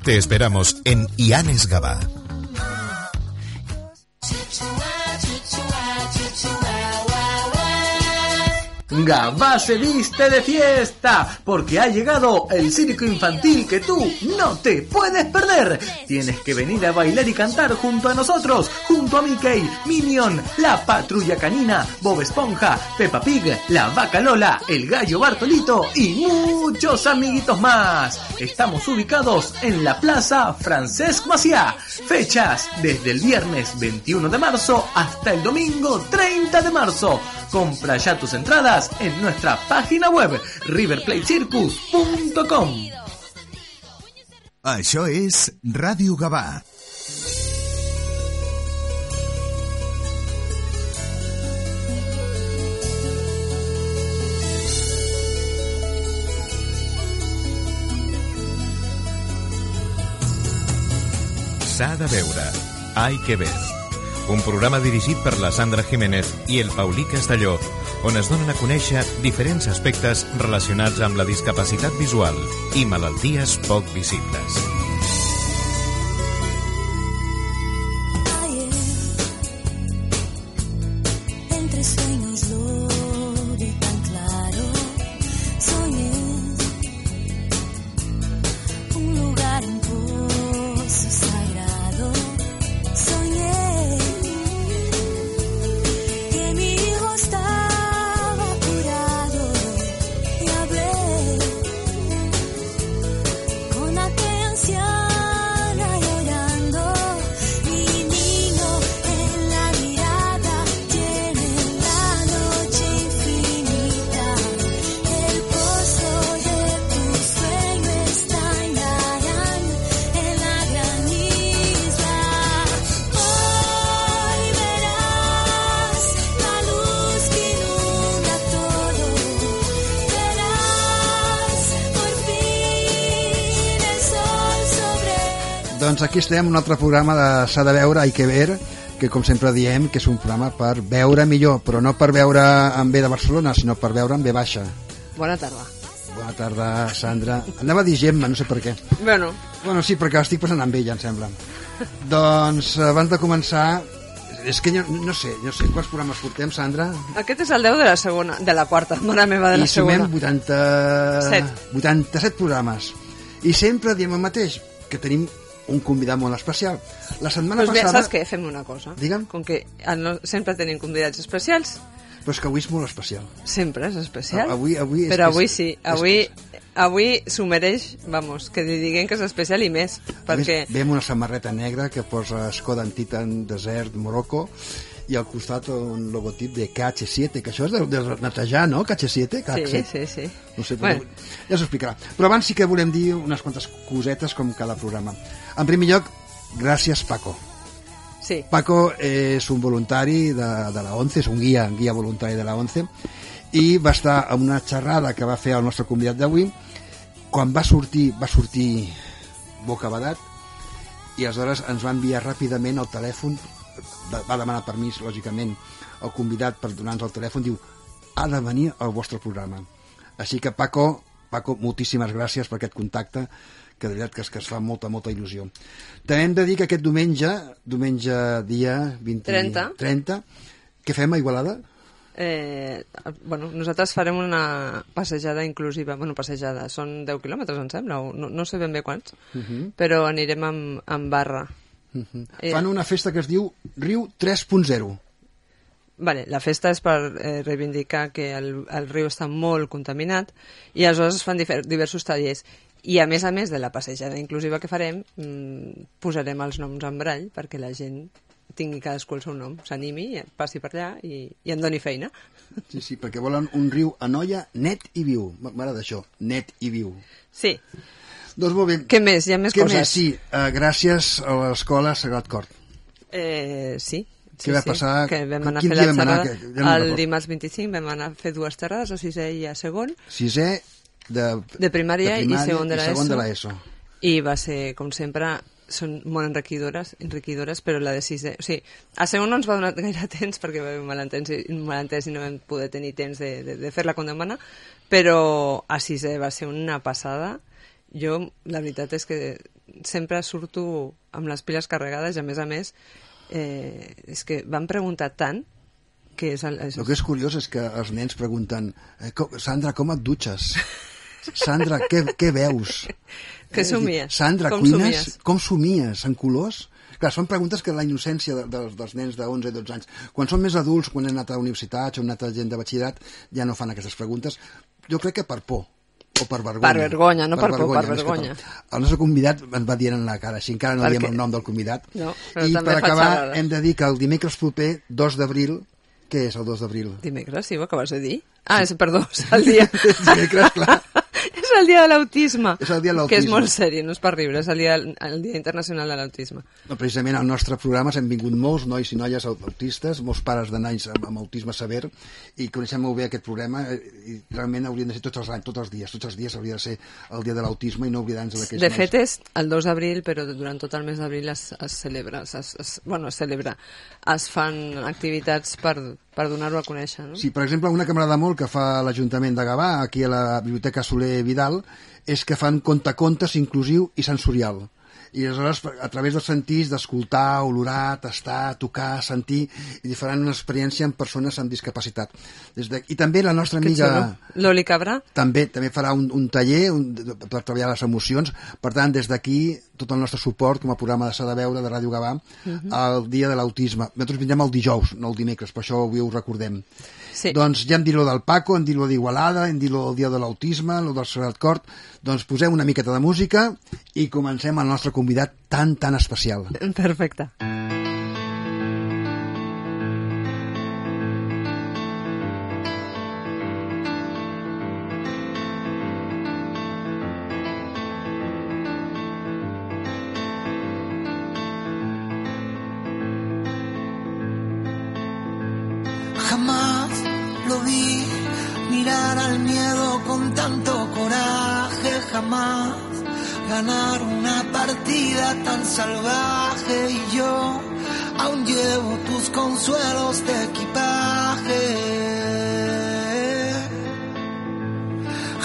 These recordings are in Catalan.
Te esperamos en Ianes Gavà. Gavà se viste de fiesta porque ha llegado el circo infantil que tú no te puedes perder. Tienes que venir a bailar y cantar junto a nosotros, junto a Mickey, Minion, la Patrulla Canina, Bob Esponja, Peppa Pig, la Vaca Lola, el Gallo Bartolito y muchos amiguitos más. Estamos ubicados en la Plaza Francesc Macià. Fechas desde el viernes 21 de marzo hasta el domingo 30 de marzo. Compra ya tus entradas en nuestra página web riverplatecircus.com. Això és Ràdio Gavà. S'ha de veure. Hay que ver. Un programa dirigit per la Sandra Jiménez i el Paulí Castelló, on es donen a conèixer diferents aspectes relacionats amb la discapacitat visual i malalties poc visibles. Doncs aquí estem, un altre programa de S'ha de veure, hay que ver, que com sempre diem que és un programa per veure millor, però no per veure en B de Barcelona, sinó per veure en B baixa. Bona tarda. Bona tarda, Sandra. Anava a dir Gemma, no sé per què. Bueno, sí, perquè estic passant amb ella, em sembla. Doncs, abans de començar, és que no sé quants programes portem, Sandra? Aquest és el 10 de la quarta, mare meva, de la segona. I sumem 87 programes. I sempre diem el mateix, que tenim un convidat molt especial. La setmana passada... Saps què? Fem una cosa. Digue'm. Com que sempre tenim convidats especials... Però és que avui és molt especial. Sempre és especial. Però avui sí. Avui s'ho mereix, vamos, que li diguem que és especial i més. Perquè... Veiem una samarreta negra que posa Skoda en Titan Desert Morocco i al costat un logotip de KH7, que això és de netejar, no? KH7? Sí. No sé, però ja s'ho explicarà. Però abans sí que volem dir unes quantes cosetes com cada programa. En primer lloc, gràcies, Paco. Sí. Paco és un voluntari de la ONCE, és un guia voluntari de la ONCE, i va estar a una xerrada que va fer el nostre convidat d'avui. Quan va sortir bocabadat, i aleshores ens va enviar ràpidament el telèfon, va demanar permís, lògicament, el convidat per donar-nos el telèfon, diu, ha de venir al vostre programa. Així que, Paco, moltíssimes gràcies per aquest contacte, que de veritat que es fa molta il·lusió. També hem de dir que aquest diumenge dia 30, què fem a Igualada? Nosaltres farem una passejada inclusiva. Passejada, són 10 quilòmetres, em sembla, no sé ben bé quants, però anirem amb barra. Fan una festa que es diu Riu 3.0. Vale, la festa és per reivindicar que el riu està molt contaminat i aleshores es fan diversos tallers. I a més de la passejada inclusiva que farem, posarem els noms en brall perquè la gent tingui cadascú el seu nom, s'animi, passi per allà i en doni feina. Sí, perquè volen un riu Anoia net i viu. M'agrada això, net i viu. Sí. Doncs molt bé. Què més? Hi ha més coses? Sí, gràcies a l'escola Sagrat Cor. Sí. Què va passar? Que vam anar a fer la xerrada. El dimarts 25 vam anar a fer 2 xerrades, a 6è i a segon. 6è de primària i segon de l'ESO. I va ser, com sempre, són molt enriquidores, però la de 6è... O sigui, a segon no ens va donar gaire temps perquè va haver un malentès i no vam poder tenir temps de fer-la com demana, però a 6è va ser una passada. Jo, la veritat és que sempre surto amb les piles carregades i, a més, és que van preguntar tant que és... El que és curiós és que els nens pregunten Sandra, com et dutxes? Sandra, què veus? Què somies? Sandra, cuines? Com somies? En colors? Clar, són preguntes que la innocència dels nens de 11 i 12 anys. Quan són més adults, quan han anat a universitats o han anat a gent de batxillerat, ja no fan aquestes preguntes. Jo crec que per por o per vergonya. Per vergonya, no per por, per vergonya. El nostre convidat ens va dient en la cara, així encara no diem el nom del convidat. No, i per acabar hem de dir que el dimecres proper, 2 d'abril, què és el 2 d'abril? Dimecres, sí, ho acabes de dir? Ah, perdó, és el dia... Dimecres, clar. És el dia de l'autisme. És el dia de l'autisme. Que és molt seri, no és per riure, és el dia internacional de l'autisme. No, precisament al nostre programa hem vingut molts nois i noies autistes, molts pares de nois amb autisme sever, i coneixem molt bé aquest programa, i realment haurien de ser tots els dies hauria de ser el dia de l'autisme i no oblidar-nos d'aquells nois. De fet és el 2 d'abril, però durant tot el mes d'abril es celebra, es fan activitats per donar-ho a conèixer, no? Sí, per exemple, una que m'agrada molt que fa l'Ajuntament de Gavà, aquí a la Biblioteca Soler Vidal, és que fan contacontes inclusiu i sensorial. I aleshores, a través dels sentits, d'escoltar, olorar, tastar, tocar, sentir, i faran una experiència amb persones amb discapacitat. I també la nostra amiga... L'Oli Cabrà? També farà un taller per treballar les emocions. Per tant, des d'aquí, tot el nostre suport com a programa de S'ha de veure, de Ràdio Gavà, al dia de l'autisme. Nosaltres vindrem el dijous, no el dimecres, per això avui ho recordem. Sí. Doncs ja hem dit lo del Paco, hem dit lo d'Igualada, hem dit lo del dia de l'autisme, lo del Sagrat Cor. Doncs posem una miqueta de música i comencem el nostre convidat tan especial. Perfecte. Jamás lo vi mirar al miedo con tanto coraje, jamás ganar una partida tan salvaje, y yo aún llevo tus consuelos de equipaje.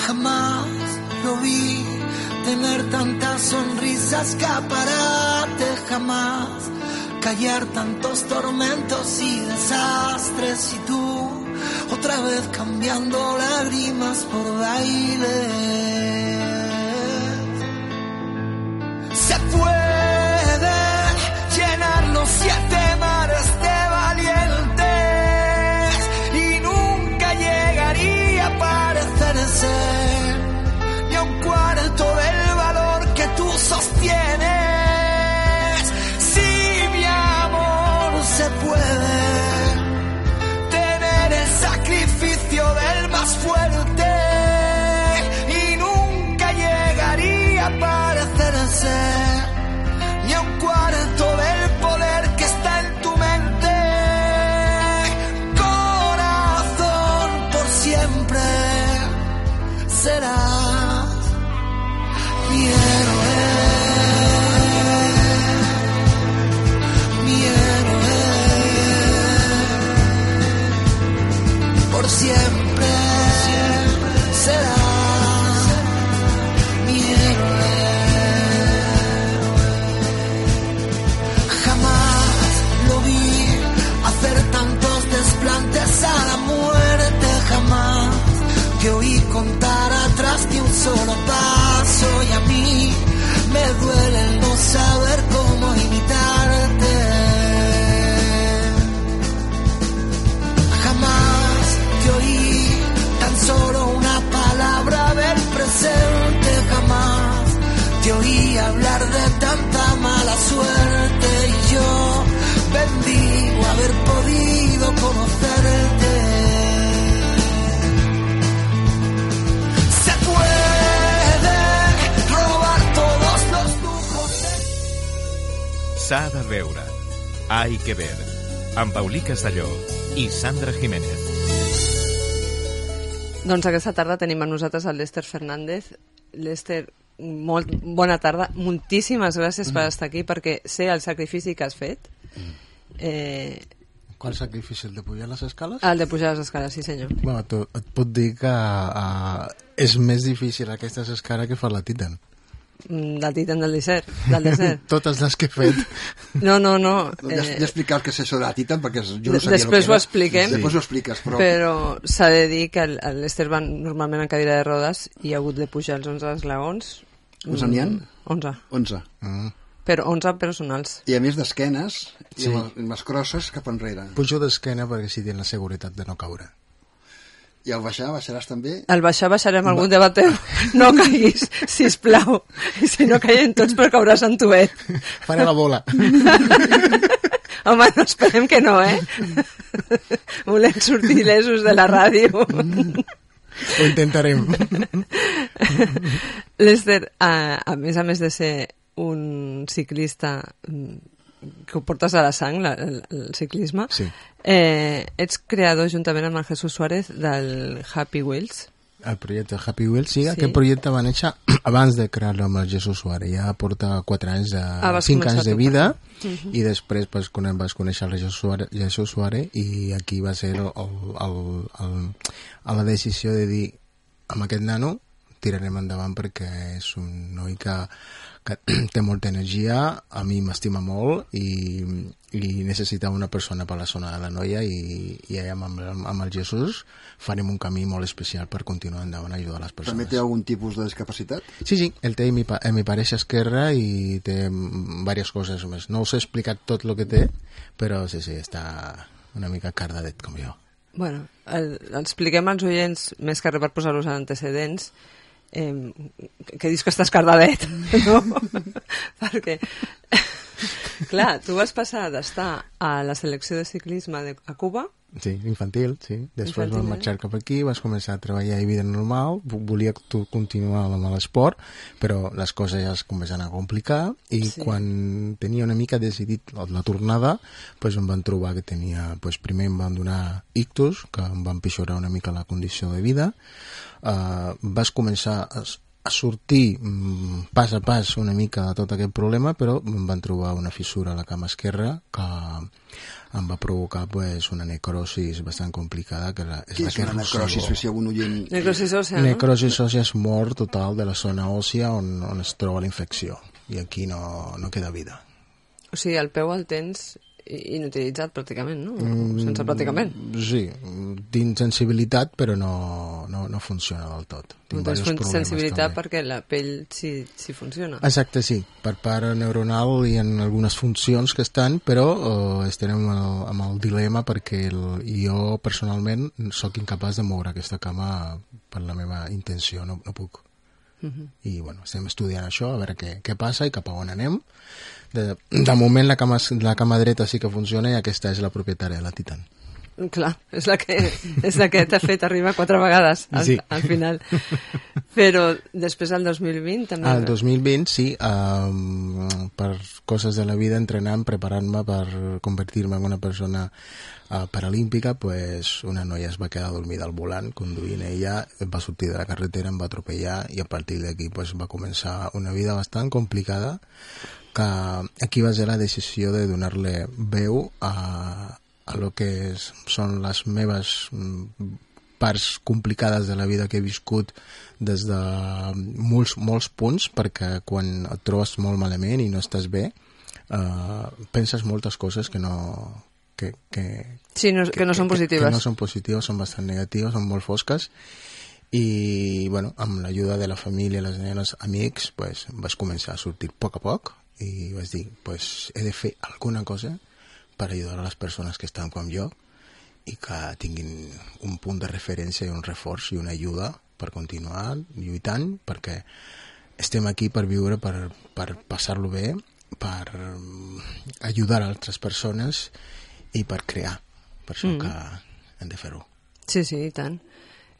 Jamás lo vi tener tantas sonrisas, escaparate, jamás callar tantos tormentos y desastres, y tú otra vez cambiando lágrimas por baile. Se pueden llenar los 7 mares de valientes y nunca llegaría a parecerse ni a un cuarto del valor que tú sostienes. Si mi amor se puede tener el sacrificio del más fuerte y nunca llegaría a parecerse ni a un cuarto del poder que está en tu mente. Corazón, por siempre serás mi héroe, mi héroe. Por siempre serás mi héroe. Jamás lo vi hacer tantos desplantes a la muerte, jamás te oí contar atrás de un solo paso, y a mí me duele el no saber cómo imitarte. Jamás te oí tan solo una palabra del presente, jamás te oí hablar de tanta mala suerte, y yo bendigo haber podido conocerte. Se pueden robar todos los lujos de... S'ha de veure. Hay que ver. Amb Paulí Castelló i Sandra Jiménez. Doncs aquesta tarda tenim a nosaltres el Lester Fernández. Lester, molt bona tarda. Moltíssimes gràcies per estar aquí, perquè sé el sacrifici que has fet. Qual sacrifici? El de pujar les escales? El de pujar les escales, sí senyor. Bueno, et puc dir que és més difícil aquestes escales que fer la Titan. del Titan del desert. Totes les que he fet. No. Ja he explicat que és això de la Titan, perquè jo no sabia Després el que ho era. expliquem. Després ho expliques, Però s'ha de dir que l'Ester va normalment en cadira de rodes i ha hagut de pujar els 11 esglaons. Quants n'hi ha? 11. Però 11 personals. I a més d'esquenes i amb les crosses cap enrere. Pujo d'esquena perquè si tenen la seguretat de no caure. I al baixar, baixaràs també? Al baixar baixarem algun de bateu. No caiguis, sisplau. I si no caiem tots, però cauràs en tuet. Faré la bola. Home, no esperem que no, Volem sortir il·lesos de la ràdio. Ho intentarem. L'Ester, a més de ser un ciclista que ho portes a la sang, el ciclisme, sí. Ets creador juntament amb el Jesús Suárez del Happy Wheels. El projecte Happy Wheels, sí. Aquest projecte va néixer abans de crear-lo amb el Jesús Suárez. Ja porta 4 anys, 5 anys de vida, i després vas conèixer el Jesús Suárez, i aquí va ser la decisió de dir, amb aquest nano tirarem endavant perquè és un noi que té molta energia, a mi m'estima molt i necessitava una persona per la zona de la Noia, i amb el Jesús farem un camí molt especial per continuar endavant a ajudar les persones. També té algun tipus de discapacitat? Sí, el té mi pareix esquerra i té diverses coses més. No us he explicat tot el que té, però sí, està una mica cardadet com jo. Bueno, expliquem als oients, més que res per posar-los en antecedents, que dius que estàs cardadet, no? Perquè, clar, tu vas passar d'estar a la selecció de ciclisme a Cuba. Sí, infantil, sí. Després vam marxar cap aquí, vas començar a treballar a vida normal, volia continuar amb l'esport, però les coses ja es comencen a complicar, i quan tenia una mica decidit la tornada, doncs em van trobar que tenia, primer em van donar ictus, que em van empitjorar una mica la condició de vida. Vas començar a sortir pas a pas una mica de tot aquest problema, però em van trobar una fissura a la cama esquerra que em va provocar una necrosis bastant complicada. Què és una necrosis? Si algun oient... Necrosis òssia, no? Necrosis òssia és mort total de la zona òssia on es troba la infecció, i aquí no queda vida. O sigui, el peu el tens inutilitzat pràcticament, no? Sense pràcticament. Sí, tinc sensibilitat, però no funciona del tot. No tens sensibilitat també, perquè la pell sí funciona. Exacte, sí. Per part neuronal hi ha algunes funcions que estan, però estem amb el dilema perquè jo personalment sóc incapaç de moure aquesta cama per la meva intenció, no puc. I estem estudiant això, a veure què passa i cap a on anem. De moment la cama dreta sí que funciona, i aquesta és la propietària de la Titan. Clar, és la que t'ha fet arribar 4 vegades al final. Però després al 2020 també... Al 2020 sí, per coses de la vida, entrenant, preparant-me per convertir-me en una persona paralímpica, una noia es va quedar dormida al volant conduint ella, va sortir de la carretera, em va atropellar, i a partir d'aquí va començar una vida bastant complicada, que aquí va ser la decisió de donar-li veu a lo que són les meves parts complicades de la vida que he viscut des de molts punts, perquè quan et trobes molt malament i no estàs bé, penses moltes coses que no són positives. Que no són positives, són bastant negatives, són molt fosques. I, amb l'ajuda de la família, les nenes, amics, vaig començar a sortir a poc, i vaig dir, he de fer alguna cosa per ajudar a les persones que estan com jo i que tinguin un punt de referència i un reforç i una ajuda per continuar lluitant, perquè estem aquí per viure, per passar-lo bé, per ajudar a altres persones i per crear. Per això que hem de fer-ho. Sí, i tant.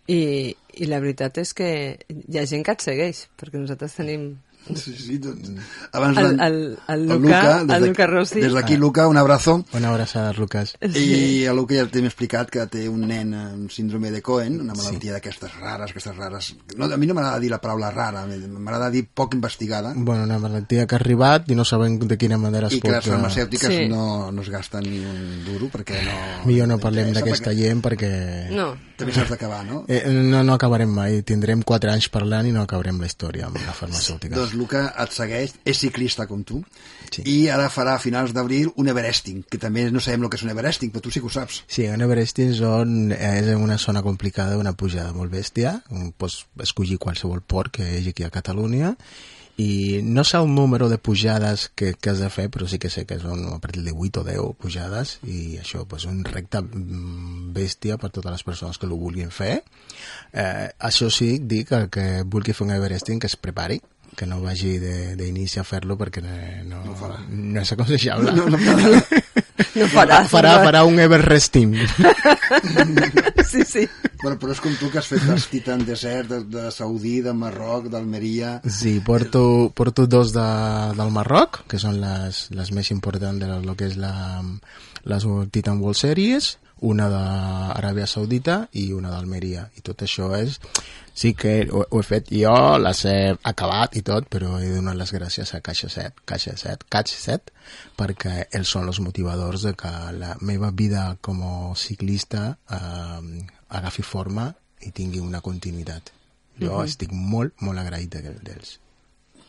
I la veritat és que hi ha gent que et segueix, perquè nosaltres tenim... Sí, doncs. Abans el Luca Rossi. Des d'aquí, Luca, un abrazo. Una abraçada, Lucas. I el Luca ja t'hem explicat que té un nen amb síndrome de Cohen, una malaltia d'aquestes rares. No, a mi no m'agrada dir la paraula rara, m'agrada dir poc investigada. Una malaltia que ha arribat i no sabem de quina manera es pot... I que les farmacèutiques no es gasten ni un duro, perquè no... Millor no parlem d'aquesta gent perquè... No. També s'has d'acabar, no? No acabarem mai. Tindrem 4 anys parlant i no acabarem la història amb la farmacèutica. Doncs Luca et segueix, és ciclista com tu, Sí. i ara farà a finals d'abril un Everesting, que també no sabem el que és un Everesting, però tu sí que ho saps. Sí, un Everesting és en una zona complicada, una pujada molt bèstia. Pots escollir qualsevol port que hi hagi aquí a Catalunya, i no sé el número de pujades que has de fer, però sí que sé que són a partir de 8 o 10 pujades, i això, pues, un recte bèstia per totes les persones que ho vulguin fer. Això sí, dic que el que vulgui fer un Everesting que es prepari, que no vagi d'inici a fer-lo, perquè no és aconsellable. No Farà un Everesting. Sí. Bueno, però és com tu que has fet els Titan Desert de Saudí, de Marroc, d'Almeria... Sí, porto 2 del Marroc, que són les més importants de lo que és les Titan World Series, una d'Aràbia Saudita i una d'Almeria. I tot això és... Sí que ho he fet jo, les he acabat i tot, però he donat les gràcies a Catch 7, perquè ells són els motivadors de que la meva vida com a ciclista agafi forma i tingui una continuïtat. Jo estic molt, molt agraït d'ells.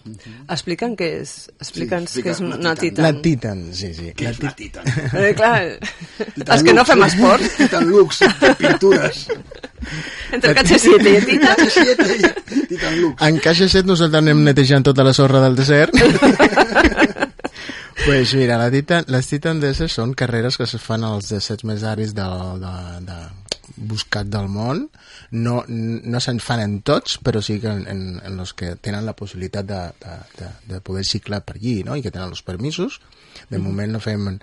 Explica'ns què és una Titan. La Titan, sí. Què és una Titan? Clar, els que no fem esport. Titan Lux, de pintures. Entre Catch 7 i Titan. Catch 7 i Titan Lux. En Catch 7 nosaltres anem netejant tota la sorra del desert. Pues mira, les Titan Desert són carreres que se fan als deserts més àrids buscat del món. No se'n fan en tots, però sí que en els que tenen la possibilitat de poder ciclar per allí, no? I que tenen els permisos. De moment no fem...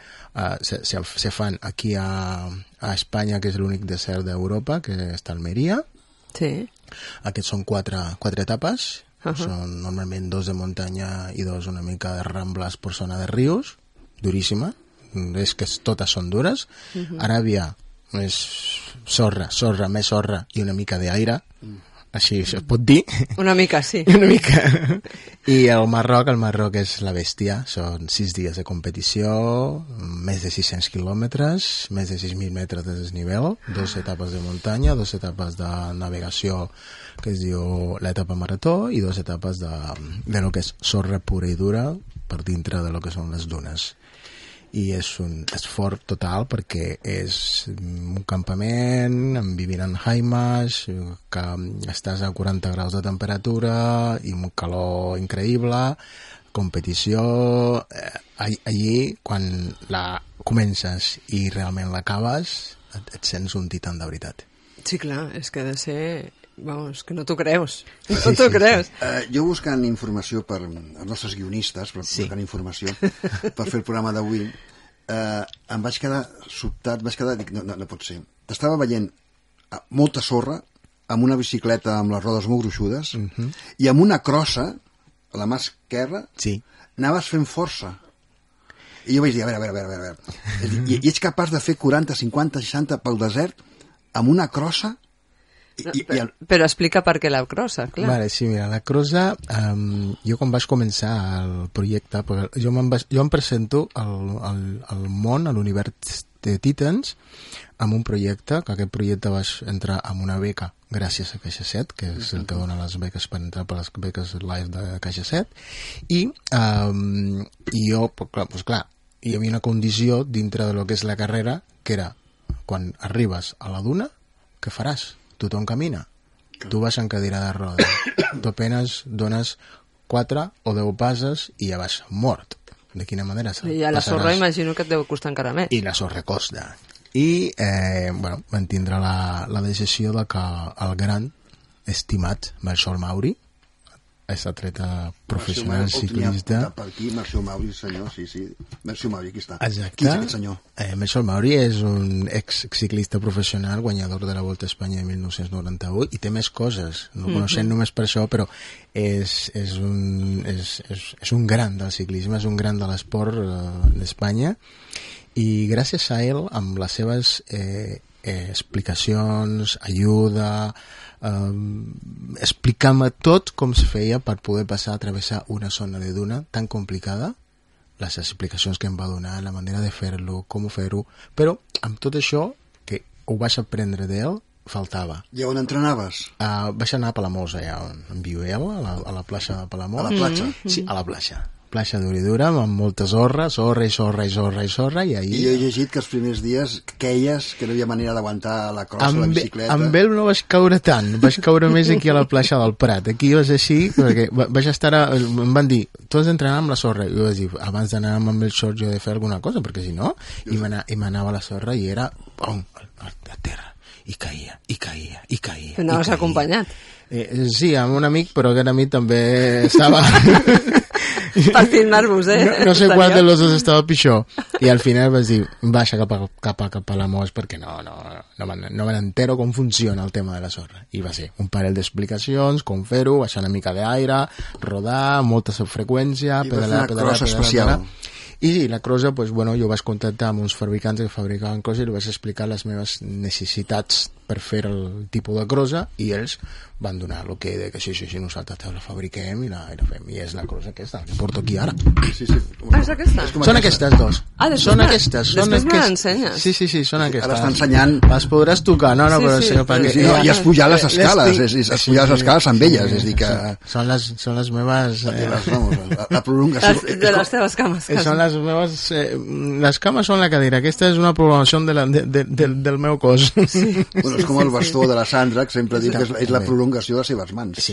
se fan aquí a Espanya, que és l'únic desert d'Europa, que està a Almeria. Sí. Aquests són 4 etapes. Són normalment 2 de muntanya i 2 una mica de rambles per zona de rius. Duríssima. És que totes són dures. Aràbia és sorra, més sorra i una mica d'aire, així es pot dir. Una mica, sí. Una mica. I el Marroc és la bèstia, són 6 dies de competició, més de 600 quilòmetres, més de 6.000 metres de desnivell, 2 etapes de muntanya, 2 etapes de navegació que es diu l'etapa marató i 2 etapes de lo que és sorra pura i dura per dintre de lo que són les dunes. I és un esforç total perquè és un campament vivint en haimes, que estàs a 40 graus de temperatura i un calor increïble, competició. Allí, quan la comences i realment l'acabes, et sents un titan de veritat. Sí, clar, és que ha de ser... Vamos, que no t'ho creus. No t'ho creus. Jo buscant informació per els nostres guionistes, buscant informació per fer el programa d'avui, em vaig quedar sobtat, dic, no pot ser. T'estava veient molta sorra, amb una bicicleta amb les rodes molt gruixudes, i amb una crossa, a la mà esquerra, anaves fent força. I jo vaig dir, a veure. I ets capaç de fer 40, 50, 60 pel desert amb una crossa? Però explica per què la crossa, clar. Vale, sí, mira, la crossa, jo quan vaig començar el projecte, jo em presento al món, a l'univers de Titans, amb un projecte, que aquest projecte vaig entrar amb una beca gràcies a Caixa 7, que és el que dona les beques per entrar per les beques live de Caixa 7, i jo, clar, hi havia una condició dintre de lo que és la carrera, que era, quan arribes a la duna, què faràs? Tothom camina. Tu vas en cadira de roda. Tu apenas dones 4 o 10 passes i ja vas mort. De quina manera? I a la sorra imagino que et deu costar encara més. I la sorra costa. I, vam tindre la decisió de que el gran estimat Marcel Mauri, és atleta professional ciclista. Per aquí, Marcel Mauri, senyor, sí. Marcel Mauri, aquí està. Exacte. Qui és aquest senyor? Marcel Mauri és un ex-ciclista professional, guanyador de la Volta a Espanya de 1998, i té més coses. No el coneixem només per això, però és un gran del ciclisme, és un gran de l'esport d'Espanya, i gràcies a ell, amb les seves explicacions, ajuda, explicant-me tot com se feia per poder passar a travessar una zona de duna tan complicada, les explicacions que em va donar, la manera de fer-lo, com fer-ho, però amb tot això, que ho vaig aprendre d'ell, faltava. I on entrenaves? Vaig anar a Palamós, allà on viueu, a la plaça de Palamós. A la platja? Sí, a la platja. Platja d'Uridura, amb molta sorra, i ahir... I jo he llegit que els primers dies queies, que no hi havia manera d'aguantar la crossa, la bicicleta... Amb ell no vaig caure tant, vaig caure més aquí a la platja del Prat. Aquí vas així, perquè vaig estar... Em van dir, tu has d'entrenar amb la sorra. I jo vaig dir, abans d'anar amb el short jo he de fer alguna cosa, perquè si no... I m'anava a la sorra i era... Pum, a terra. I caia. Però anaves acompanyat. Sí, amb un amic, però aquest amic també estava... Per filmar-vos, No sé qual de los dos estava pitjor. I al final vaig dir, baixa cap a Palamós perquè no me n'entero com funciona el tema de la sorra. I va ser un parell d'explicacions, com fer-ho, baixar una mica d'aire, rodar, molta freqüència, pedalar. I sí, la crossa, pues, bueno, jo vaig contactar amb uns fabricants que fabricaven crossa i li vaig explicar les meves necessitats per fer el tipus de crossa i ells van donar el que de que sí, nosaltres la fabriquem i la fem. I és la crossa aquesta, que porto aquí ara. Sí. És aquesta? Són aquestes dos. Són aquestes. Després me l'ensenyes. Sí, són aquestes. Ara està ensenyant... Les podràs tocar, no? Sí, i has pujat les escales, has pujat les escales amb elles, és dir que... Són les meves... La prolongació... De les teves cames. Són les meves... Les cames són la cadira. Aquesta és una prolongació del meu cos. Bueno, és com el bastó de la Sandra, que sempre dic que és la prolongació de les seves mans. Sí.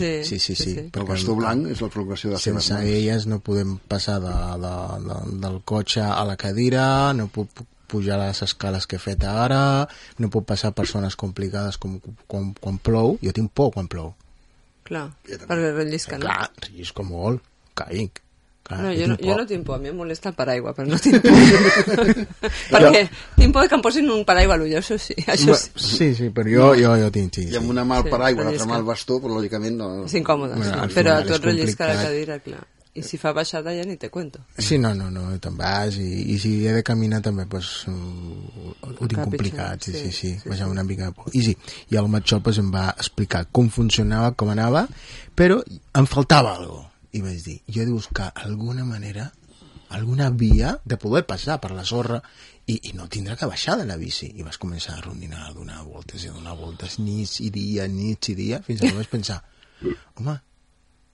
El bastó blanc és la prolongació de les seves mans. Sense elles no podem passar del cotxe a la cadira, no puc pujar les escales que he fet ara, no puc passar persones complicades com quan plou. Jo tinc por quan plou. Clar, perquè rellisca, no? Clar, rellisco molt, caic. No, jo no tinc por, a mi em molesta el paraigua, però no tinc por. Perquè tinc por que em posin un paraigua a l'ull, això sí. Sí, però jo tinc. I amb una mà al paraigua, l'altra mà al bastó, però lògicament no... És incòmode, però a tu et rellisca la cadira, clar. I si fa baixada ja ni te cuento. Sí, no, te'n vas i si he de caminar també pues, ho tinc complicat, sí, vaig una mica de por. I sí, i el Matxol pues, em va explicar com funcionava, com anava, però em faltava alguna cosa. I vaig dir, jo he de buscar alguna manera, alguna via de poder passar per la sorra i no tindrà que baixar de la bici. I vas començar a rondinar, a donar voltes, nits i dia, fins que vaig pensar, home,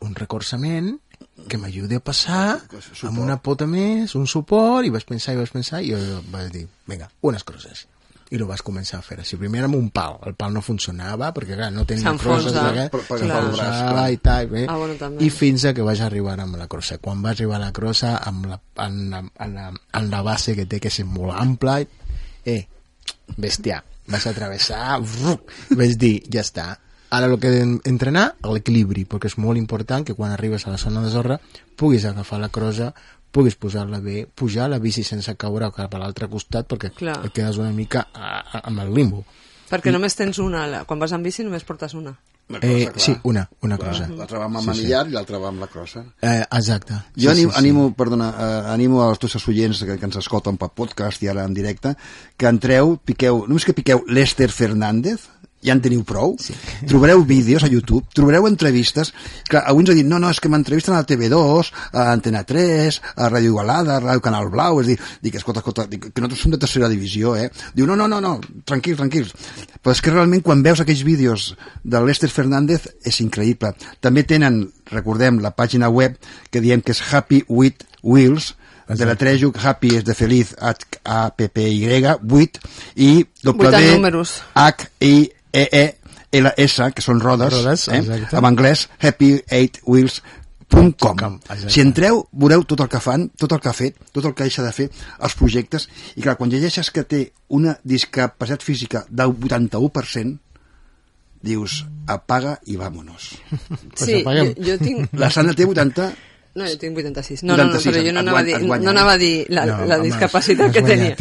un recolzament que m'ajudi a passar amb una pota més, un suport, i vaig pensar, i jo vaig dir, vinga, unes crosses. I ho vas començar a fer així. Primer amb un pal. El pal no funcionava perquè clar, no tenia crosses i fins que vaig arribar amb la crossa. Quan vaig arribar a la crossa amb la base que té que és molt ampla, bèstia, vas a travessar, vaig dir, ja està. Ara el que he d'entrenar, l'equilibri, perquè és molt important que quan arribes a la zona de sorra puguis agafar la crossa, puguis posar-la bé, pujar la bici sense caure cap a l'altre costat, perquè et quedes una mica amb el limbo. Perquè només tens una, quan vas amb bici només portes una. Sí, una crossa. L'altra va amb el manillar i l'altra va amb la crossa. Exacte. Jo animo als tots oients que ens escolten per podcast i ara en directe, que entreu, només que piqueu Lester Fernández, ja en teniu prou, trobareu vídeos a YouTube, trobareu entrevistes, clar, avui ens ha dit, no, és que m'entrevisten a la TV2, a Antena 3, a Ràdio Igualada, a Ràdio Canal Blau, és dir, que escolta, que nosaltres som de tercera divisió, diu, no, tranquils, però és que realment quan veus aquells vídeos de Lester Fernández és increïble. També tenen, recordem, la pàgina web que diem que és Happy with Wheels, de la trejo, happy és de feliz, H-A-P-P-Y, 8, i W-H-I-E-E-L-S, que són rodes, en anglès, happy8wheels.com. Si entreu, veureu tot el que fan, tot el que ha fet, tot el que deixa de fer, els projectes, i clar, quan llegeixes que té una discapacitat física del 81%, dius, apaga i vámonos. Sí, jo tinc... La Sandra té 80... No, jo tinc 86. No, però jo no anava a dir la discapacitat que tenia.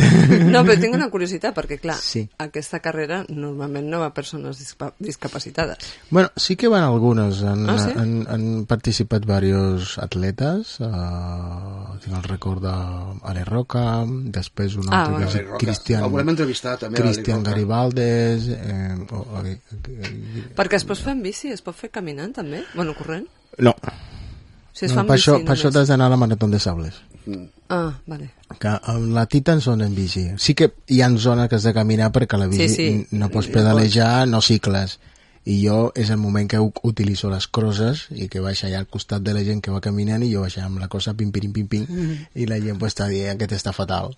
No, però tinc una curiositat, perquè, clar, aquesta carrera normalment no va a persones discapacitades. Bueno, sí que van algunes. Han participat diversos atletes. Tinc el record d'Ale Roca, després un altre que és Cristian Garibaldes. Perquè es pot fer en bici? Es pot fer caminant, també? Bueno, corrent? No. Per això t'has d'anar a la Marató de Sables. Ah, vale. Que amb la Titan són en bici. Sí que hi ha zones que has de caminar perquè la bici Sí. no pots pedalejar, no cicles. I jo és el moment que utilitzo les crosses i que vaig allà al costat de la gent que va caminant i jo vaig amb la cosa pim, i la gent pues, està dient que t'està fatal.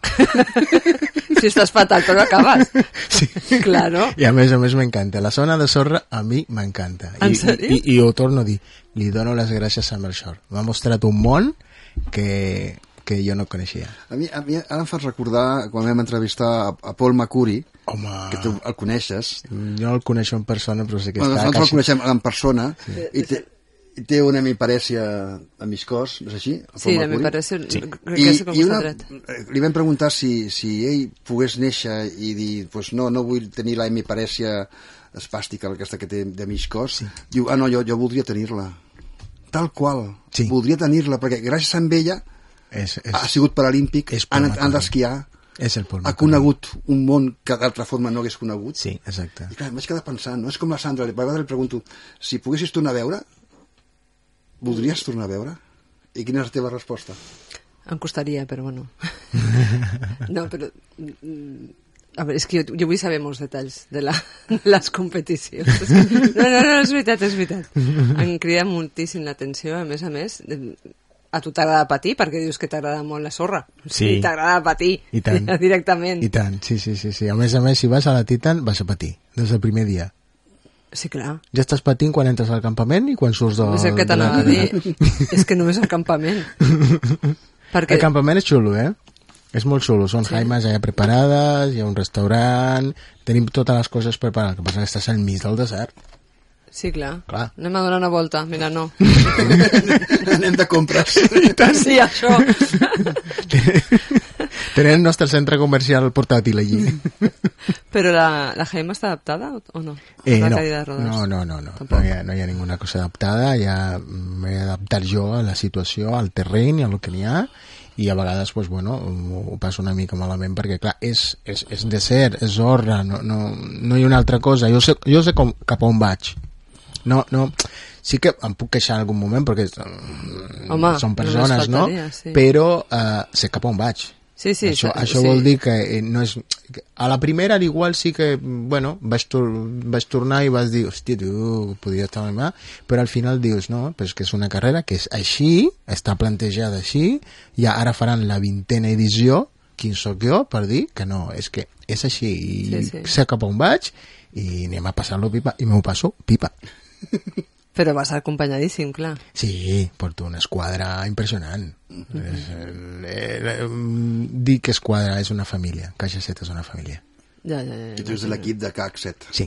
Si estàs fatal, però acabes. Sí. Claro. I a més m'encanta. La zona de sorra a mi m'encanta. En sèrio? I ho torno a dir. Li dono les gràcies a Melchor. M'ha mostrat un món que jo no coneixia. A mi ara em fas recordar quan vam entrevistar a Paul Macuri, Home, que tu el coneixes. jo el coneixo en persona, però sé que Bueno, està... nosaltres el coneixem en persona i té una miparèsia a mig cos, no és així? El Sí, Paul a mi Macuri? parece... Crec que és com està dret. Li vam preguntar si ell pogués néixer i dir, pues no vull tenir la miparèsia espàstica, aquesta que té de mig cos. Diu, no, jo voldria tenir-la. Tal qual. Sí. Voldria tenir-la, perquè gràcies a ella ha sigut paralímpic, és Paul han Macuri. d'esquiar, És el Paul ha Macuri. conegut un món que d'altra forma no hagués conegut. Sí, exacte. I clar, em vaig quedar pensant, no? És com la Sandra, a vegades li pregunto, si poguessis tornar a veure, voldries tornar a veure? I quina és la teva resposta? Em costaria, però bueno. No, però... A veure, és que jo vull saber molts detalls de les competicions. És que, no, és veritat. Em crida moltíssim l'atenció, a més, a tu t'agrada patir, perquè dius que t'agrada molt la sorra. Sí. T'agrada patir. I tant. Directament. I tant, sí. A més, si vas a la Titan, vas a patir, des del primer dia. Sí, clar. Ja estàs patint quan entres al campament i quan surts És el que t'anava a dir. És que només al campament. Perquè... El campament és xulo, És molt xulo. Són jaimes allà preparades, hi ha un restaurant, tenim totes les coses preparades. El que passa és que estàs al mig del desert. Sí, clar. Clar. Anem a donar una volta. Mira, no. Anem de compres. Sí, això. Tenim el nostre centre comercial portàtil allí. Però la Jaime està adaptada o no? La cadira de rodes. No. No hi ha ninguna cosa adaptada. Ja m'he d'adaptar jo a la situació, al terreny, a lo que n'hi ha, i a vegades pues, bueno, ho passo una mica malament perquè clar, és desert, és sorra, no hi ha una altra cosa. Jo sé cap on vaig. No, sí que em puc queixar en algun moment perquè són persones, no? Sí. Però sé cap on vaig. Sí, Això vol dir que no és... A la primera, igual sí que, bueno, vaig tornar i vas dir, hòstia, tu, podria estar mal, però al final dius, no, però és que és una carrera que és així, està plantejada així, i ara faran la 20ª edició, quin sóc jo, per dir que no, és que és així, i sé cap on vaig, i anem a passar-lo pipa, i m'ho passo pipa. Però vas acompanyadíssim, clar. Sí, porto una esquadra impressionant. Dir que esquadra és una família. Caixa 7 és una família. Ja. I tu ets de l'equip de CAC 7. Sí.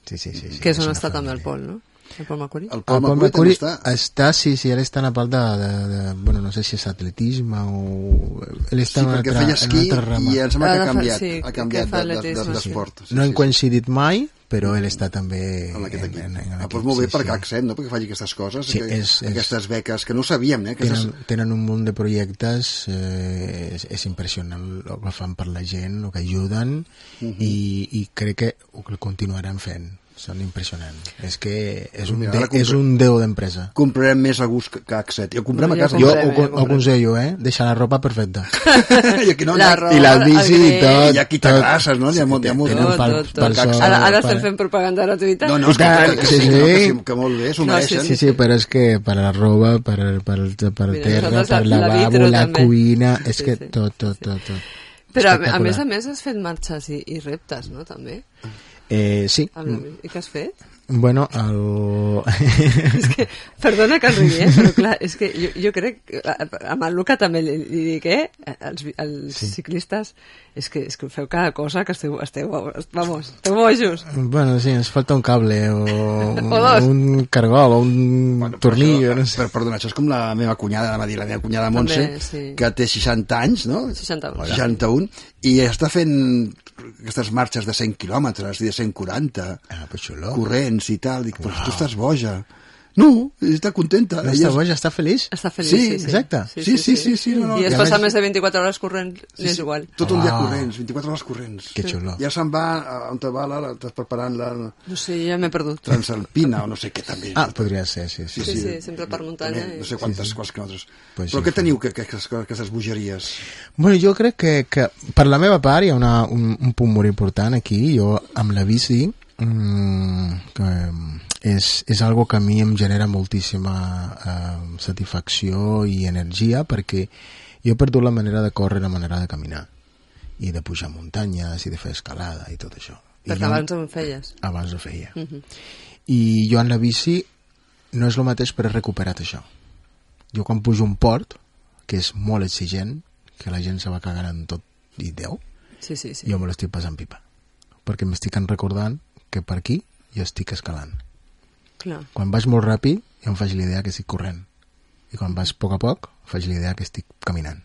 Que és on està també el Pol, no? El Pol Macuri? El Pol Macuri està, sí, ell està en la part de bueno, no sé si és atletisme o... Ell està sí, perquè feia esquí i em sembla que ha canviat d'esport. No hem coincidit mai, però ell està també en aquest equip. Doncs molt bé per CAC 7, no? Perquè faci aquestes coses, aquestes beques, que no ho sabíem, Tenen un munt de projectes, és impressionant el que fan per la gent, el que ajuden, i crec que ho continuaran fent. Són impressionants. És que és un déu d'empresa. Comprarem més a gust que CAC7. Jo comprem a casa. Jo ho aconsello, deixar la ropa perfecta. I la bici i tot. I aquí t'agrasses, no? Tot. Ara estem fent propaganda gratuïta? No, que molt bé, s'ho mereixen. Sí, però és que per la roba, per terra, per lavabo, la cuina, és que tot. Però a més has fet marxes i reptes, no? També. Sí. I què has fet? Bueno, és que, perdona que rigui, però clar, és que jo crec que amb el Luca també li dic, els ciclistes és que feu cada cosa que esteu bojos. Bueno, sí, ens falta un cable o un cargol o un tornillo, no sé. Perdona, això és com la meva cunyada, la meva cunyada Montse, que té 60 anys, no? 61, i està fent aquestes marxes de 100 quilòmetres i de 140 corrents i tal, dic, però tu estàs boja, No, està contenta. No està boja, està feliç. Està feliç, Sí, sí. exacte. Sí. No, I es I a passa més- més de 24 hores corrent, és igual. Tot un dia corrents, 24 hores corrents. Que xulo. Ja se'n va, on te va, estàs preparant la No sé, ja m'he perdut. Transalpina o no sé què també. Ah, podria ser, sí. Sí, sempre per muntanya. També, no sé quantes quilòmetres. Pues Però sí, què teniu, aquestes bogeries? Bueno, jo crec que per la meva part hi ha un punt molt important aquí. Jo amb la bici que és algo que a mi em genera moltíssima satisfacció i energia, perquè jo he perdut la manera de córrer, la manera de caminar i de pujar muntanyes i de fer escalada i tot això. Perquè abans ho feies. Abans ho feia. I jo en la bici no és el mateix, però he recuperat això. Jo quan pujo un port, que és molt exigent, que la gent se va cagant en tot i Déu, Sí. jo me l'estic passant pipa. Perquè m'estic recordant que per aquí jo estic escalant. Clar. Quan vaig molt ràpid, jo em faig l'idea que estic corrent. I quan vaig a poc, em faig l'idea que estic caminant.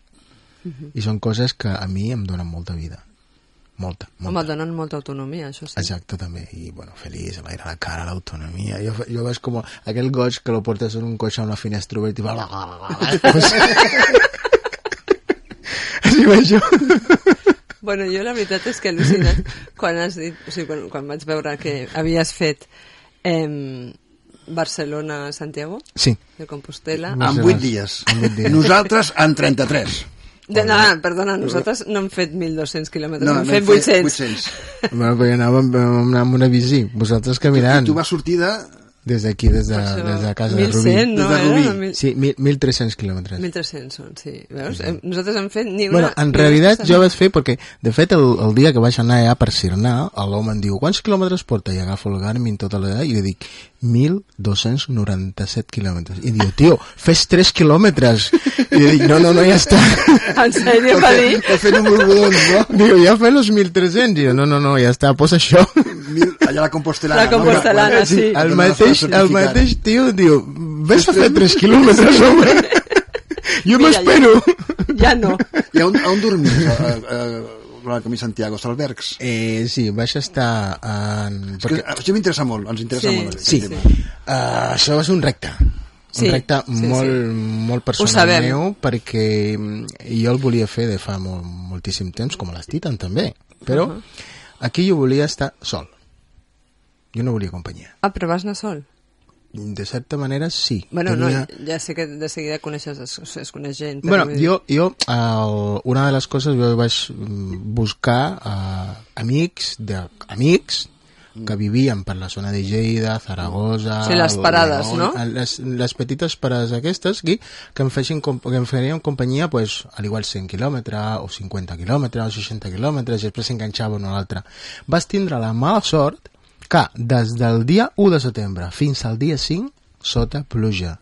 I són coses que a mi em donen molta vida. Molta. Home, et donen molta autonomia, això sí. Exacte, també. I, bueno, feliç, l'aire a la cara, l'autonomia. Jo veig com aquell goig que lo portes en un cotxe amb la finestra oberta i va... Així veig jo. Bueno, jo la veritat és que he al·lucinat quan has dit, o sigui, quan vaig veure que havies fet Barcelona-Santiago Sí. de Compostela. En 8 dies. Nosaltres en 33. Perdona, nosaltres no hem fet 1.200 quilòmetres, hem No, fet 800. 800. Bueno, però anàvem amb una bici, vosaltres caminant. Tu vas sortir de... Des d'aquí, des de casa de Rubí. 1.100, no? Des de Rubí. Era? Sí, 1.300 quilòmetres. 1.300 són, sí. Veus? Nosaltres hem fet ni una... Bueno, en realitat jo vaig fer, perquè de fet el dia que vaig anar allà per Sirnar, l'home em diu, quants quilòmetres porta? I agafo el Garmin tota l'edat i li dic 1.297 quilòmetres. I diu, tio, fes 3 quilòmetres. I li dic, no, ja està. En sèrio, va dir? Vas fent un borbodons, no? Diu, ja fes los 1.300. I jo, no, ja està, posa això. Allà a la Compostelana. La Compostelana, no? sí. El mateix tio diu, ves a fer 3 quilòmetres, home. Jo m'espero. Ja no. I on dormies? El Camí Santiago, als albergs? Sí, vaig estar en... Perquè... Això m'interessa molt, ens interessa molt. Sí. Això va ser un repte. Sí, un repte sí. molt personal meu, perquè jo el volia fer de fa moltíssim temps, com a les Titan també, però aquí jo volia estar sol. Jo no volia companyia. Ah, però vas anar sol? De certa manera, sí. Bueno, no, ja sé que de seguida coneixes, es coneix gent. Bueno, jo una de les coses, jo vaig buscar amics que vivien per la zona de Lleida, Zaragoza... Sí, les parades, no? Les petites parades aquestes aquí, que em farien companyia, pues, al igual 100 quilòmetres, o 50 quilòmetres, o 60 quilòmetres, i després s'enganxaven a l'altre. Vas tindre la mala sort que des del dia 1 de setembre fins al dia 5, sota pluja.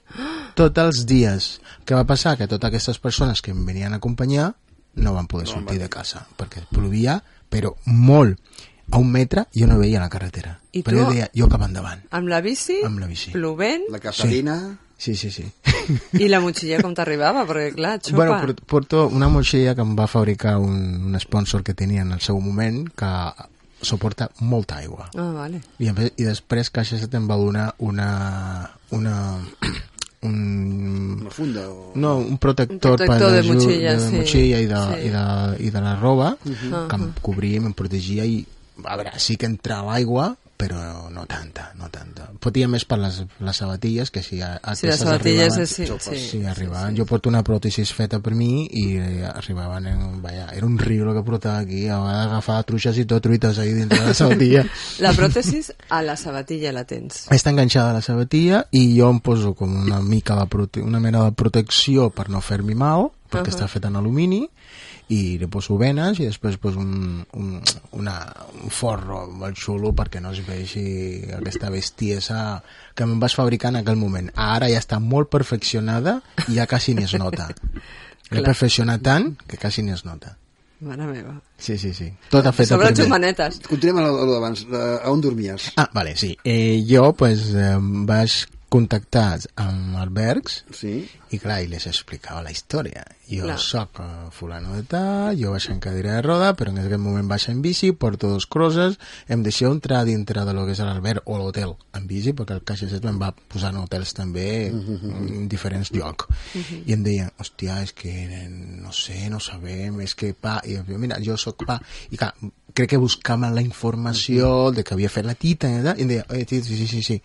Tots els dies. Què va passar? Que totes aquestes persones que em venien a acompanyar no van poder sortir de casa, perquè plovia, però molt. A 1 metre jo no veia la carretera. I però tu, jo deia, jo cap endavant. Amb la bici? Amb la bici. Plovent? La Catalina... Sí. I la motxilla com t'arribava? Perquè, clar, xopa. Bueno, porto una motxilla que em va fabricar un sponsor que tenia en el seu moment, que suporta molta aigua. Ah, vale. I després Caixa Set em va donar una funda o... No, un protector de motxilla, de motxilla i de la roba que em cobria i em protegia i a veure, sí que entrava aigua però no tanta. Fotia més per les sabatilles, que si les sabatilles arribaven. Jo porto una pròtesis feta per mi i arribaven era un riu el que portava aquí, a vegades agafava truixes i tot truites ahí dintre de la sabatilla. La pròtesis a la sabatilla la tens? Està enganxada a la sabatilla i jo em poso com una mena de protecció per no fer-m'hi mal, perquè està fet en alumini, i li poso venes i després poso un forro molt xulo perquè no es vegi aquesta bestiesa que em vas fabricar en aquell moment. Ara ja està molt perfeccionada i ja quasi ni es nota. L'he perfeccionat tant que quasi ni es nota. Mare meva. Sí. Tota feta sobre per mi. xumanetes. Continuem a l'abans. A on dormies? Ah, vale, sí. Jo, pues, vaig contactats amb albergs Sí. i clar, i les explicava la història. Jo Clar. soc fulano de tal, jo vaig en cadira de roda, però en aquest moment vaig en bici, porto 2 crosses, em deixeu entrar dintre de lo que és l'alberg o l'hotel en bici, perquè el CaixaSet em va posar en hotels també en diferents llocs. I em deien, hòstia, és que no sé, no sabem, és que pa, i jo, mira, jo soc pa, i clar, crec que buscàvem la informació de que havia fet la tita, i em deia, sí,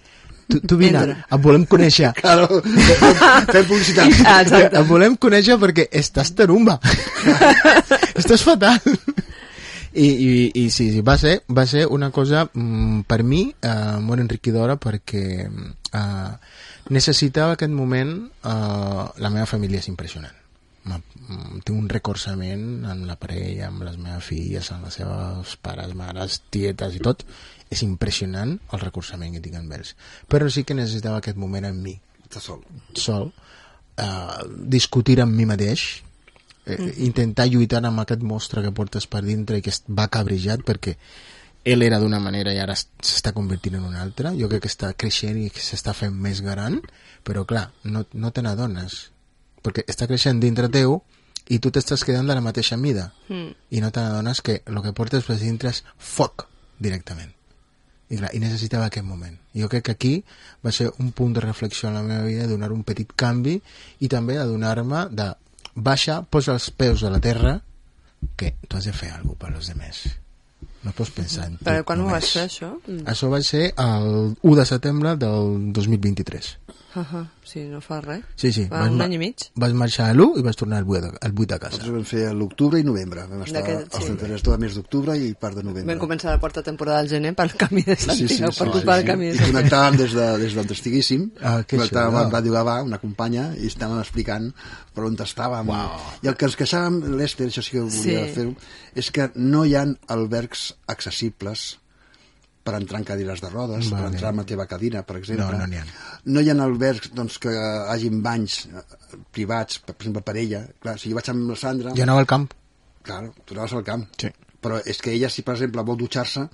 tu vine, et volem conèixer. Claro, fem publicitat. Exacte. Et volem conèixer perquè estàs tarumba. Estàs fatal. I sí, va ser una cosa per mi molt enriquidora perquè necessitava aquest moment. La meva família és impressionant. Tinc un recolzament amb la parella, amb les meves filles, amb les seves pares, mares, tietes i tot. És impressionant el recolzament que tinc amb ells. Però sí que necessitava aquest moment amb mi. Estàs sol. Sol. Discutir amb mi mateix, intentar lluitar amb aquest monstre que portes per dintre i que va cabrejat perquè ell era d'una manera i ara s'està convertint en una altra. Jo crec que està creixent i que s'està fent més gran, però clar, no te n'adones perquè està creixent dintre teu i tu t'estàs quedant de la mateixa mida i no te n'adones que el que portes per dintre és foc directament. I clar, i necessitava aquest moment. Jo crec que aquí va ser un punt de reflexió en la meva vida, donar un petit canvi i també adonar-me de baixa, posa els peus a la terra, que tu has de fer alguna cosa per als demés. No pots pensar en tu. Però quan ho només. vas fer, això? Això va ser el 1 de setembre del 2023. Sí, no fa res. Sí. Va un any i mig. Vas marxar a l'1 i vas tornar al 8 a casa. Nosaltres vam fer l'octubre i novembre. Vam estar els 33 de mes d'octubre i part de novembre. Vam començar la quarta temporada al gener pel camí de Santiago, per culpa del camí de I Santiago. connectàvem des d'on estiguéssim, que connectàvem xulo. amb Ràdio Gavà, una companya, i estàvem explicant per on estàvem. I el que ens queixàvem, l'Ester, això sí que volia fer-ho, és que no hi ha albergs accessibles per entrar en cadires de rodes, per entrar en la teva cadira, per exemple. No n'hi ha. No hi ha albergs doncs, que hagin banys privats, per exemple, per ella. Clar, si jo vaig amb la Sandra... Jo anava al camp. Clar, tu anaves al camp. Sí. Però és que ella, si per exemple vol dutxar-se,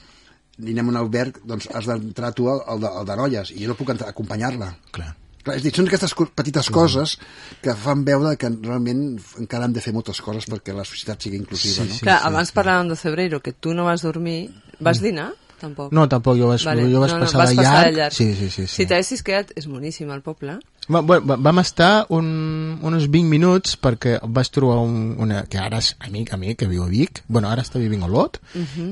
i anem a un alberg, doncs has d'entrar tu al de noies, i jo no puc acompanyar-la. Clar. Clar, és a dir, són aquestes petites coses que fan veure que realment encara hem de fer moltes coses perquè la societat sigui inclusiva, no? Clar, abans parlàvem de Cebreiro, que tu no vas dormir. Vas dinar? Tampoc. No, tampoc, jo vaig passar de llarg. Sí. Si t'haguessis quedat, és boníssim el poble. Vam estar uns 20 minuts perquè vaig trobar una que ara és amic, que viu a Vic, bueno, ara està vivint a Olot,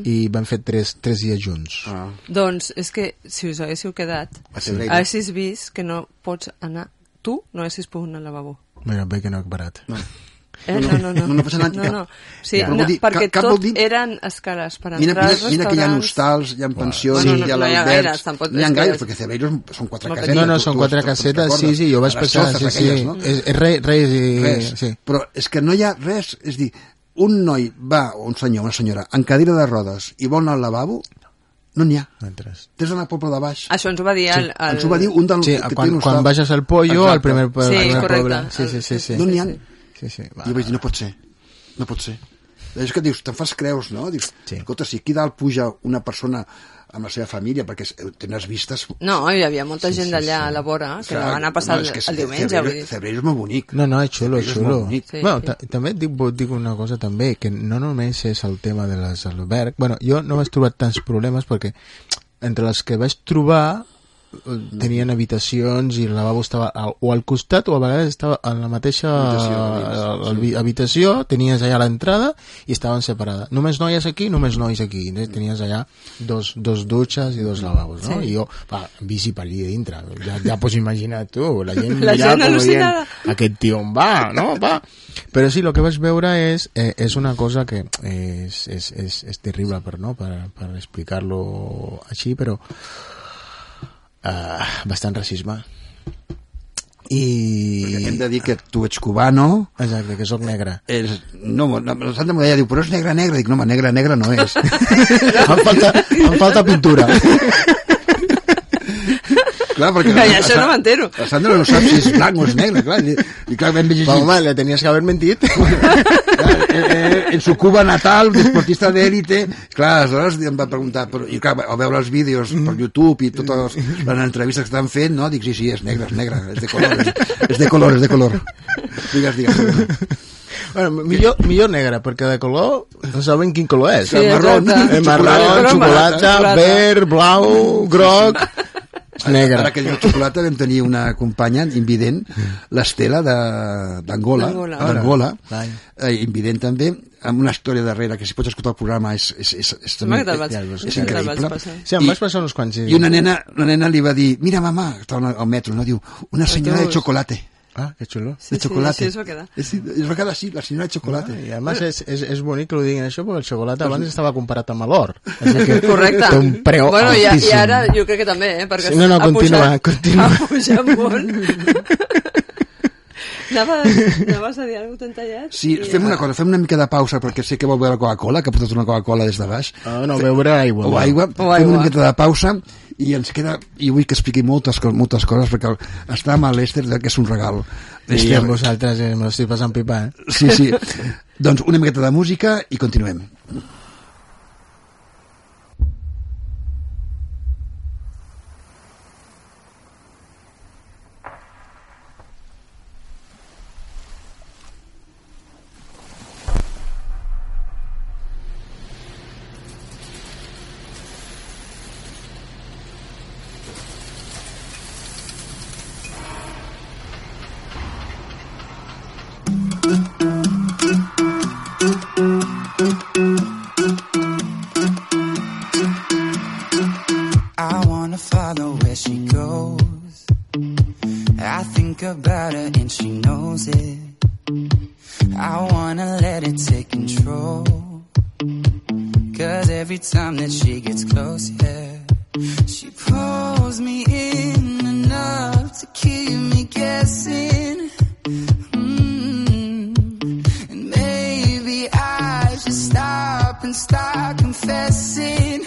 i vam fer 3 dies junts. Doncs és que si us haguéssiu quedat, haguessis vist que no pots anar, tu no haguessis pogut anar al lavabo. Mira, bé que no he parat. No. No passa anar No. Sí, ja. No, perquè cap tot vol dir... eren escales per entrar als restaurants. Mira que hi ha hostals, hi ha pensions, hi ha albergs... No hi ha gaires, perquè Cebreiro són 4 casetes. No, són 4 casetes, sí, jo vaig passar... És res. Però és que no hi ha res, és dir, un noi va, o un senyor, una senyora, en cadira de rodes i vol anar al lavabo, no n'hi ha. Tens d'anar al poble de baix. Això ens ho va dir ens ho va dir un del... Sí, quan baixes al Pollo, al primer poble. Sí. No n'hi ha. Sí. I jo vaig dir, no pot ser. És que dius, te'n fas creus, no? Dius, escolta, si aquí dalt puja una persona amb la seva família, perquè tens vistes... No, hi havia molta gent d'allà a la vora que la va anar a passar el diumenge. Cebreiro és molt bonic. No, és xulo. També et dic una cosa també, que no només és el tema de l'alberg. Bueno, jo no vaig trobar tants problemes perquè entre les que vaig trobar tenien habitacions i el lavabo estava o al costat o a vegades estava en la mateixa habitació, tenies allà l'entrada i estaven separades. Només noies aquí, només nois aquí. Tenies allà dos dutxes i 2 lavabos, no? I jo, bici per allà dintre. Ja pots imaginar tu, la gent mirava com dient, aquest tio on va, no? Però sí, el que vaig veure és una cosa que és terrible per explicar-lo així, però bastant racisme i... Perquè hem de dir que tu ets cubano. Exacte, que sóc negre. No, la Santa m'ho deia, diu, però és negre. Dic, no, negre no és. em falta pintura. Clar, perquè això no m'entero. La Sandra no sap si és blanc o és negre, clar. I clar, vam llegir... Home, le tenies que haver mentit. en su Cuba natal, deportista d'élite. Clar, aleshores em va preguntar, i clar, al veure els vídeos per YouTube i totes les entrevistes que estan fent, no? Dic, sí, és negre, és de color, és de color. Digues. Bueno, millor negre, perquè de color no saben quin color és. Sí, marrón, xocolata, verd, blau, groc... Negre. Ara que diu xocolata vam tenir una companya invident, l'Estela d'Angola, invident també, amb una història darrere que si pots escoltar el programa és increïble. Sí, em vaig passar uns quants. I una nena li va dir, mira mamà, estava al metro, no? Diu, una senyora de chocolate. Ah, que xulo. De chocolate. Sí, es va quedar. Es va quedar así, la senyora de chocolate. I a més és bonic que ho diguin això, perquè el xocolata abans estava comparat amb l'or. Correcte. Té un preu altíssim. I ara jo crec que també, perquè sí, no, continua. Ha pujat molt. Anaves a dir alguna cosa, t'han tallat? Sí, fem una cosa, fem una mica de pausa, perquè sé que vol beure Coca-Cola, que ha portat una Coca-Cola des de baix. No, beure aigua. O aigua. Fem una miqueta de pausa i ens queda, i vull que expliqui moltes coses, perquè està amb l'Ester, que és un regal. I amb vosaltres me l'estic passant pipa, Sí. Doncs una miqueta de música i continuem. About her and she knows it. I wanna let it take control, 'cause every time that she gets close, yeah, she pulls me in enough to keep me guessing. And maybe I should stop and start confessing,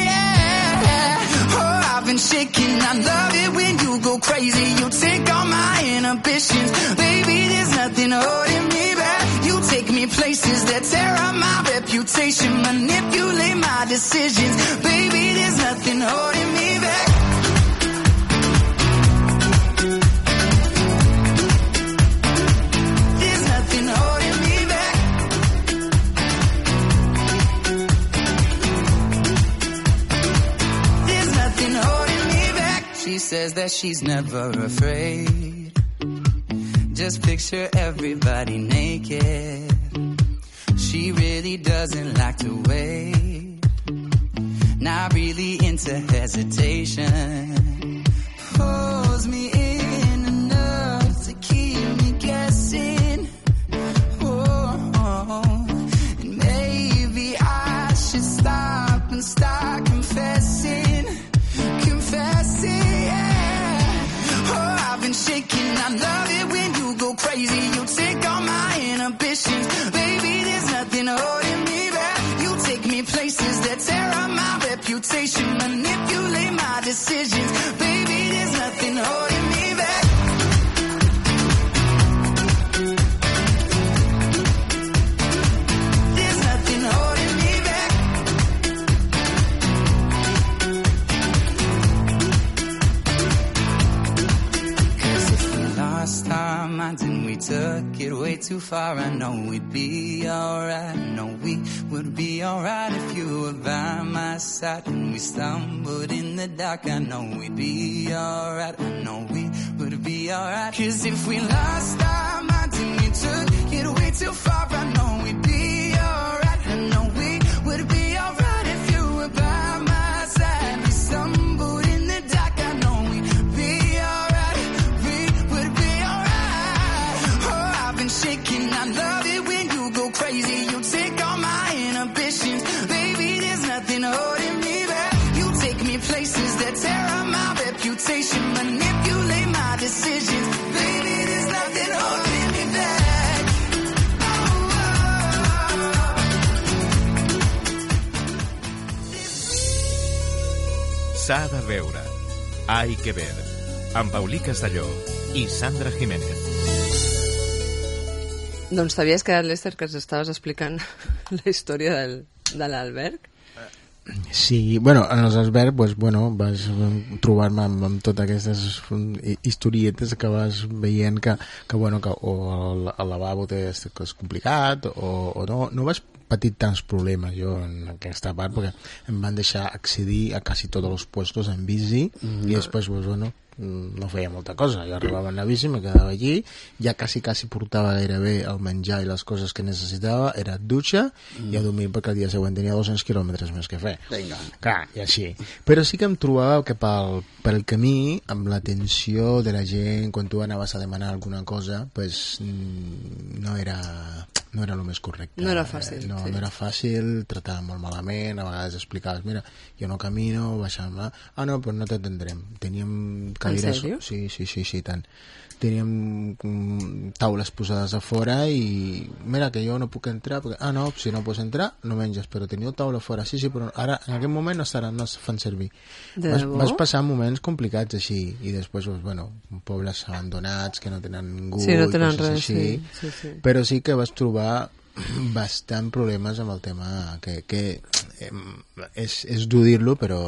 yeah. Oh, I've been shaking, I love it when you go crazy, you take all my inhibitions, baby, there's nothing holding me back, you take me places that tear up my reputation, manipulate my decisions, baby, there's nothing holding me back. There's nothing holding me back. There's nothing holding me back. She says that she's never afraid. Just picture everybody naked. She really doesn't like to wait. Not really into hesitation. Pulls me in enough to keep me guessing. Oh, and maybe I should stop and start confessing. Yeah. Oh, I've been shaking, I love it when you go crazy, you take all my inhibitions, baby, there's nothing holding me back, you take me places that tear up my reputation, manipulate my decisions, baby, there's nothing holding me back. There's nothing holding me back. Lost our minds and we took it way too far. I know we'd be alright. I know we would be alright if you were by my side. And we stumbled in the dark. I know we'd be alright. I know we would be alright. 'Cause if we lost our minds and we took it way too far, I know we'd be alright. I know we would be alright if you were by my side. We stumbled in the dark. I know we'd be alright. Shaking, I love it when you go crazy, you take all my inhibitions, baby, there's nothing holding me back, you take me places that tear up my reputation, manipulate my decisions, baby, there's nothing holding me back. S'ha de veure. Hay que ver. Amb Paulí Castelló i Sandra Jiménez. Doncs t'havies quedat, Lester, que ens estaves explicant la història de l'alberg? Sí, bueno, en els albergs pues, bueno, vas trobar-me amb totes aquestes historietes que vas veient que bueno, que o el lavabo és complicat o no vas patir tants problemes jo en aquesta part perquè em van deixar accedir a quasi tots els puestos en bici i després pues, bueno, no feia molta cosa, jo arribava en la bici, me quedava allí, ja quasi portava gairebé el menjar i les coses que necessitava, era dutxa i a dormir perquè el dia següent tenia 200 quilòmetres més que fer. Vinga. Clar, i així. Però sí que em trobava que pel camí, amb l'atenció de la gent, quan tu anaves a demanar alguna cosa, pues, no era el més correcte. No era fàcil. No era fàcil, tractava molt malament, a vegades explicaves, mira, jo no camino, baixant-me, no, però no t'atendrem. Teníem cadires... En sèrio? Sí, tant. Teníem taules posades a fora i mira que jo no puc entrar perquè, no, si no pots entrar no menges, però teniu taula fora, sí, però ara en aquest moment no es fan servir. Vas passar moments complicats així i després, bueno, pobles abandonats que no tenen ningú, sí, no tenen res, així, sí. Però sí que vas trobar bastant problemes amb el tema que és dur dir-lo, però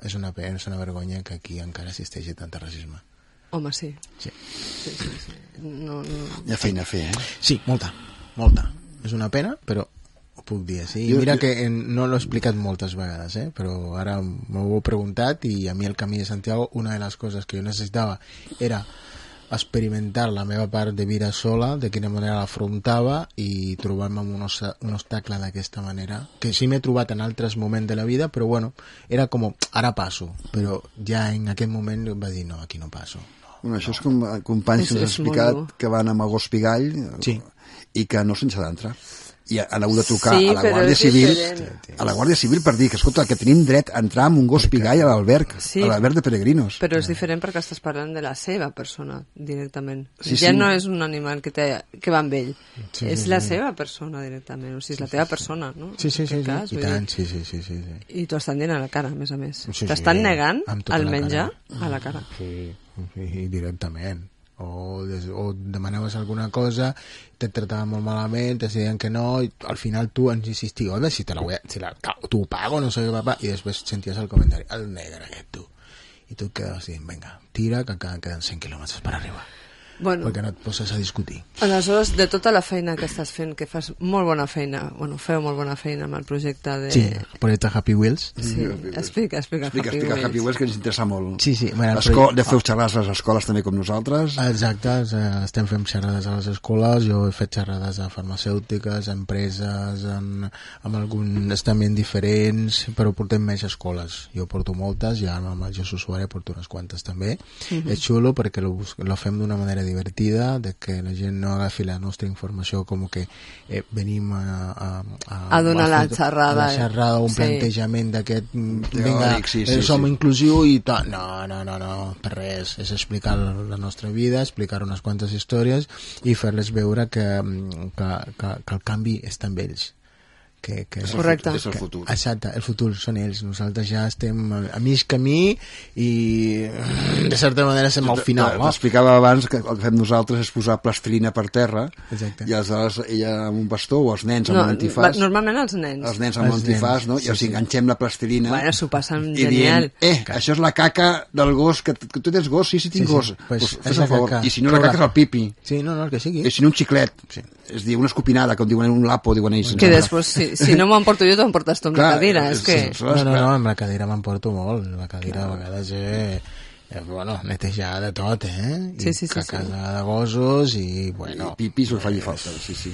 és una pena, és una vergonya que aquí encara existeixi tant racisme. Home, sí. Sí. No. Hi ha feina a fer, Sí, molta. És una pena, però ho puc dir així. Mira que no l'he explicat moltes vegades, però ara m'ho heu preguntat i a mi el Camí de Santiago, una de les coses que jo necessitava era experimentar la meva part de vida sola, de quina manera l'afrontava i trobar-me amb un obstacle d'aquesta manera, que sí m'he trobat en altres moments de la vida, però bueno, era com, ara passo, però ja en aquest moment va dir, no, aquí no passo. Bueno, això és com companys que ens han explicat que van amb el gos pigall i que no se'n s'ha d'entrar. I han hagut de trucar a la Guàrdia Civil per dir que, escolta, que tenim dret a entrar amb un gos pigall a l'alberg, a l'alberg de peregrinos. Però és diferent perquè estàs parlant de la seva persona directament. Ja no és un animal que va amb ell, és la seva persona directament, o sigui, és la teva persona, no? Sí, i tant, sí. I t'ho estan dient a la cara, a més a més. T'estan negant el menjar a la cara. Sí, directament. O demanaves alguna cosa, te trataven molt malament, te deien que no, i al final tu ens insisties, home, si tu ho pago, no sé què, papà, i després senties el comentari, el negre aquest, tu. I tu et quedaves dient, vinga, tira, que encara queden 100 quilòmetres per arribar. Bueno, perquè no et poses a discutir. Aleshores, de tota la feina que estàs fent, que fas molt bona feina, feu molt bona feina amb el projecte de... Sí, el projecte Happy Wheels. Sí, explica Happy Wheels, que ens interessa molt. Sí. De feu xerrades a les escoles també com nosaltres. Exacte, estem fent xerrades a les escoles, jo he fet xerrades a farmacèutiques, a empreses, amb alguns estaments diferents, però portem més escoles. Jo porto moltes, i ara amb el Jesús Suárez porto unes quantes també. És xulo perquè lo fem d'una manera divertida, de que la gent no agafi la nostra informació com que venim a donar la xerrada, un plantejament d'aquest vinga, som inclusiu i tal. No, per res, és explicar la nostra vida, explicar unes quantes històries i fer-les veure que el canvi està amb ells. Correcte. És el futur. Exacte, el futur són ells. Nosaltres ja estem a mig camí i de certa manera estem al final. T'explicava abans que el que fem nosaltres és posar plastilina per terra. Exacte. I aleshores ella amb un bastó o els nens amb l'antifàs. Normalment els nens. Els nens amb l'antifàs, no? I els enganxem la plastilina. Bueno, s'ho passen genial. Això és la caca del gos, que tu tens gos? Sí, tinc gos. Pues fes el favor. I si no la caca és el pipi. Sí, no, el que sigui. I si no un xiclet. És dir, una escopinada, com diuen un lapo, diuen ells. Que després, si no m'emporto jo, t'emportes tu amb la cadira. No, amb la cadira m'emporto molt. La cadira a vegades netejar de tot, cacada de gossos i, bueno... I pipis ho faci falta, sí.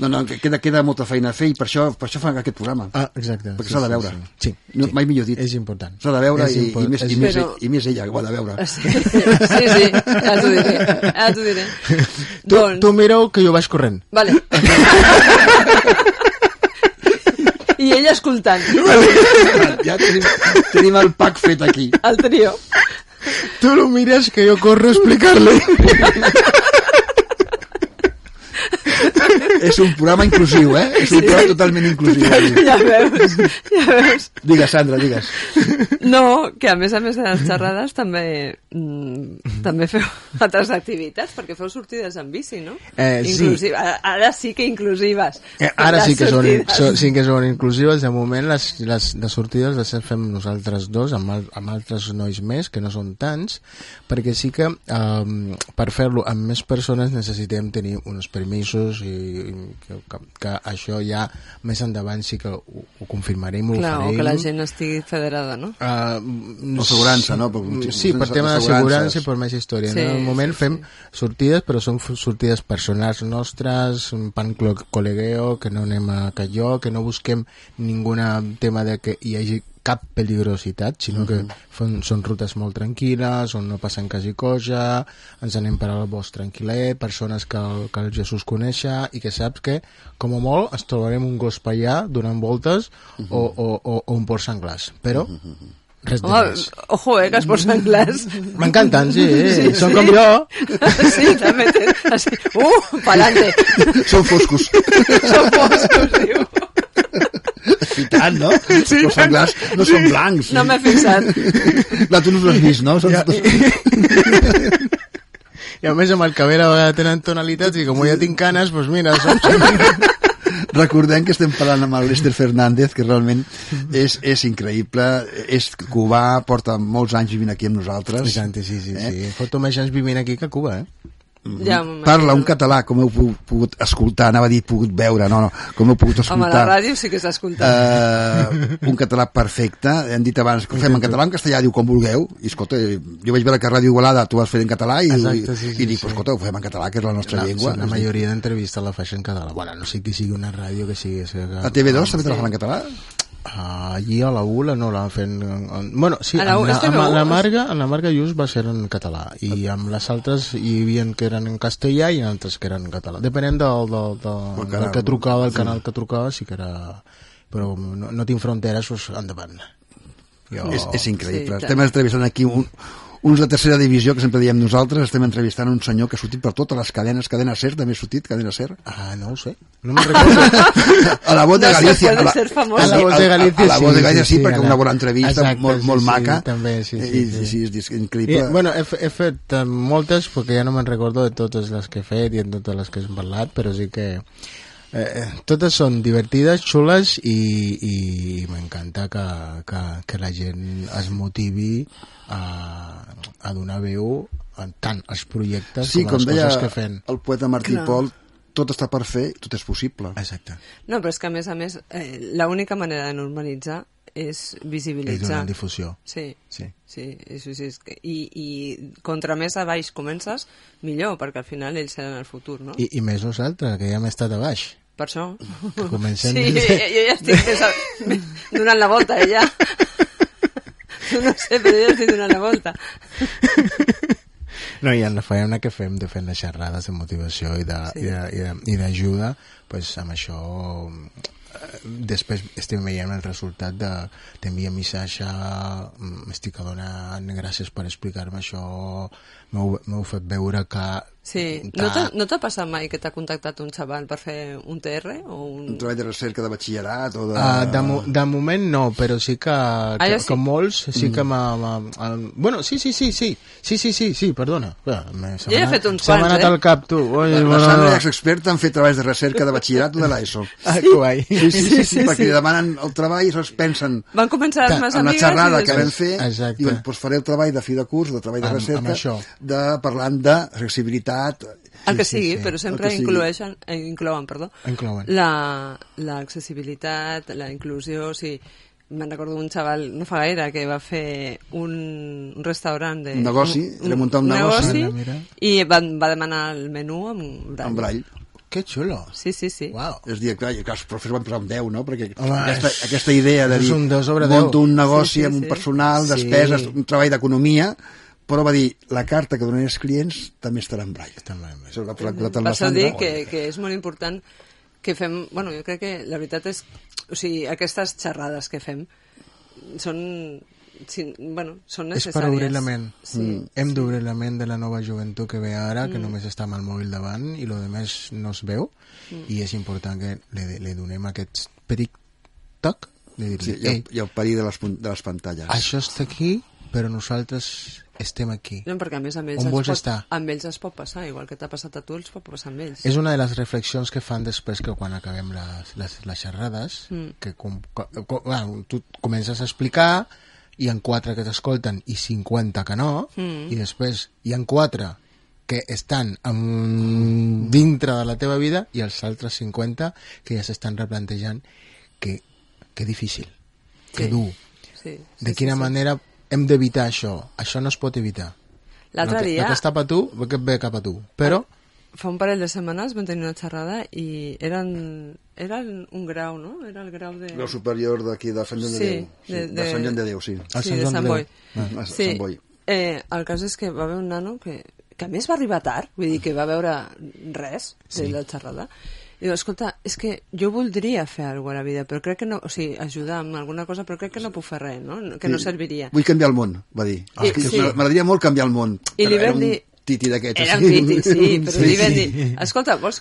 No, queda molta feina a fer i per això fan aquest programa. Exacte. Perquè s'ha de veure. Sí. Mai millor dit. És important. S'ha de veure i més ella que ho ha de veure. Sí, ja t'ho diré. Tu mireu que jo vaig corrent. Vale. I ella escoltant. Ja tenim el pack fet aquí. El trio. Tu lo mires que jo corro a explicar-li. És un programa inclusiu, És un programa totalment inclusiu. Ja veus. Digues, Sandra, digues. No, que a més de les xerrades també feu altres activitats, perquè feu sortides en bici, no? Sí. Ara sí que inclusives. Ara sí que sortides. són inclusives. De moment les sortides les fem nosaltres dos amb altres nois més, que no són tants, perquè sí que per fer-lo amb més persones necessitem tenir uns permisos i que això ja més endavant sí que ho confirmarem, ho farem. Que la gent estigui federada, no? Assegurança, no? Sí, per tema d'assegurança i per més història. Sí, en el moment fem sortides, però són sortides personals nostres, un pan colegueo, que no anem a calló, que no busquem ningun tema de que hi hagi cap peligrositat, sinó que són rutes molt tranquil·les, on no passen quasi cosa, ens anem per al bosc tranquil·let, persones que el Jesús coneixa i que saps que, com a molt, ens trobarem un gos paià donant voltes o un porc senglars. Però res de més. Ojo, que es posen clars. M'encanten, sí, són com jo. Sí, també així. Pa'lante. Són foscos. Són foscos, diu. I tant, no? Sí. Els senglars no són blancs. No m'he fixat. Clar, tu no els has vist, no? I a més amb el cabell a vegades tenen tonalitats i com ja tinc canes, doncs mira, Recordem que estem parlant amb el Lester Fernández, que realment és increïble, és cubà, porta molts anys vivint aquí amb nosaltres. Sí. Porto més anys vivint aquí que a Cuba, Ja, parla un català, com heu pogut escoltar, anava a dir pogut veure, com heu pogut escoltar. Home, la ràdio sí que s'ha escoltat. Un català perfecte, hem dit abans que ho fem en català, en castellà, diu com vulgueu, i escolta, jo vaig veure que a Ràdio Igualada tu vas fer en català i dic, escolta, ho fem en català, que és la nostra llengua. La majoria d'entrevistes la faig en català. Bueno, no sé que sigui una ràdio que sigui... A TV2 també te la fan en català? Allí a la ULA no la fan... Bueno, sí, amb la Marga Just va ser en català i amb les altres hi havia que eren en castellà i altres que eren en català. Depenent del que trucava, del canal que trucava, sí que era... Però no tinc fronteres, doncs endavant. És increïble. Estem entrevistant aquí uns de tercera divisió, que sempre diem nosaltres, estem entrevistant un senyor que ha sortit per totes les cadenes, Cadena Ser, també ha sortit, Cadena Ser. No ho sé, no me'n recordo. A la Voz de Galícia. No sé, a la Voz de Galícia, a la Voz de Galícia sí, perquè una bona entrevista, molt maca. També, sí, és increïble. Bueno, he fet moltes, perquè ja no me'n recordo de totes les que he fet i de totes les que hem parlat, però sí que... totes són divertides, xules i m'encanta que la gent es motivi a donar veu tant als projectes com a les coses que fem. Sí, com deia el poeta Martí Pol, tot està per fer, tot és possible. Exacte. No, però és que a més, l'única manera de normalitzar és visibilitzar. És donar difusió. Sí. I contra més a baix comences, millor, perquè al final ells seran el futur, no? I més nosaltres, que ja hem estat a baix. Per això. Que comencem... Sí, jo ja estic donant la volta, ja. Tu no sé, però jo ja estic donant la volta. No, i en la feina que fem de fer les xerrades de motivació i d'ajuda, doncs amb això després estem veient el resultat de t'envia missatge, m'estic adonant, gràcies per explicar-me això, m'heu fet veure que... Sí, no t'ha passat mai que t'ha contactat un xaval per fer un TR o un treball de recerca de batxillerat o de moment no, però sí que molts sí que bueno, sí, perdona. Jo he fet uns quants, Se m'ha anat al cap, tu. La Sandra és experta en fer treballs de recerca de batxillerat o de l'ESO. Guai. Sí, perquè li demanen el treball i es pensen... Van començar les meves amigues... En la xerrada que vam fer, diuen, doncs faré el treball de fi de curs, de treball de recerca, parlant d'accessibilitat, el que sigui, però sempre inclouen l'accessibilitat, la inclusió, o sigui, me'n recordo un xaval no fa gaire que va fer un restaurant un negoci, era muntar un negoci i va demanar el menú amb braille. Que xulo. Sí. Wow. És dir, clar, els professors van posar amb 10, no? Perquè aquesta idea de dir, monto un negoci amb un personal, despeses, un treball d'economia, però va dir, la carta que donaré als clients també estarà en braille. Per això dic que és molt important que fem... Bueno, jo crec que la veritat és... O sigui, aquestes xerrades que fem són necessàries. És per obrir la ment. Hem d'obrir la ment de la nova joventut que ve ara, que només està amb el mòbil davant i el més no es veu, i és important que li donem aquest petit toc de dir-li, Sí, i el perill de les pantalles. això està aquí, però nosaltres estem aquí. No, perquè a més amb ells, On vols estar? amb ells es pot passar, igual que t'ha passat a tu, els pot passar amb ells. És una de les reflexions que fan després que quan acabem les xerrades, que bueno, tu comences a explicar, hi ha 4 que t'escolten i 50 que no, i després hi ha 4 que estan dintre de la teva vida i els altres 50 que ja s'estan replantejant que difícil, que dur. De quina manera hem d'evitar això? Això no es pot evitar. L'altre dia... El que està cap a tu, que ve cap a tu. Però... Fa un parell de setmanes vam tenir una xerrada i eren un grau, no? Era el grau de... Grau superior d'aquí, de Sant Joan de Déu. De Sant Joan de Déu, sí. Sí, de Sant Boi. Sant Boi. El cas és que va haver un nano que a més va arribar tard, vull dir que va veure res de la xerrada. I diu, escolta, és que jo voldria fer alguna cosa a la vida, però crec que no... O sigui, ajudar amb alguna cosa, però crec que no puc fer res, no? Que no serviria. Vull canviar el món, va dir. M'agradaria molt canviar el món. I li vam dir... Titi d'aquests. Era un titi, sí, però li vam dir, escolta, vols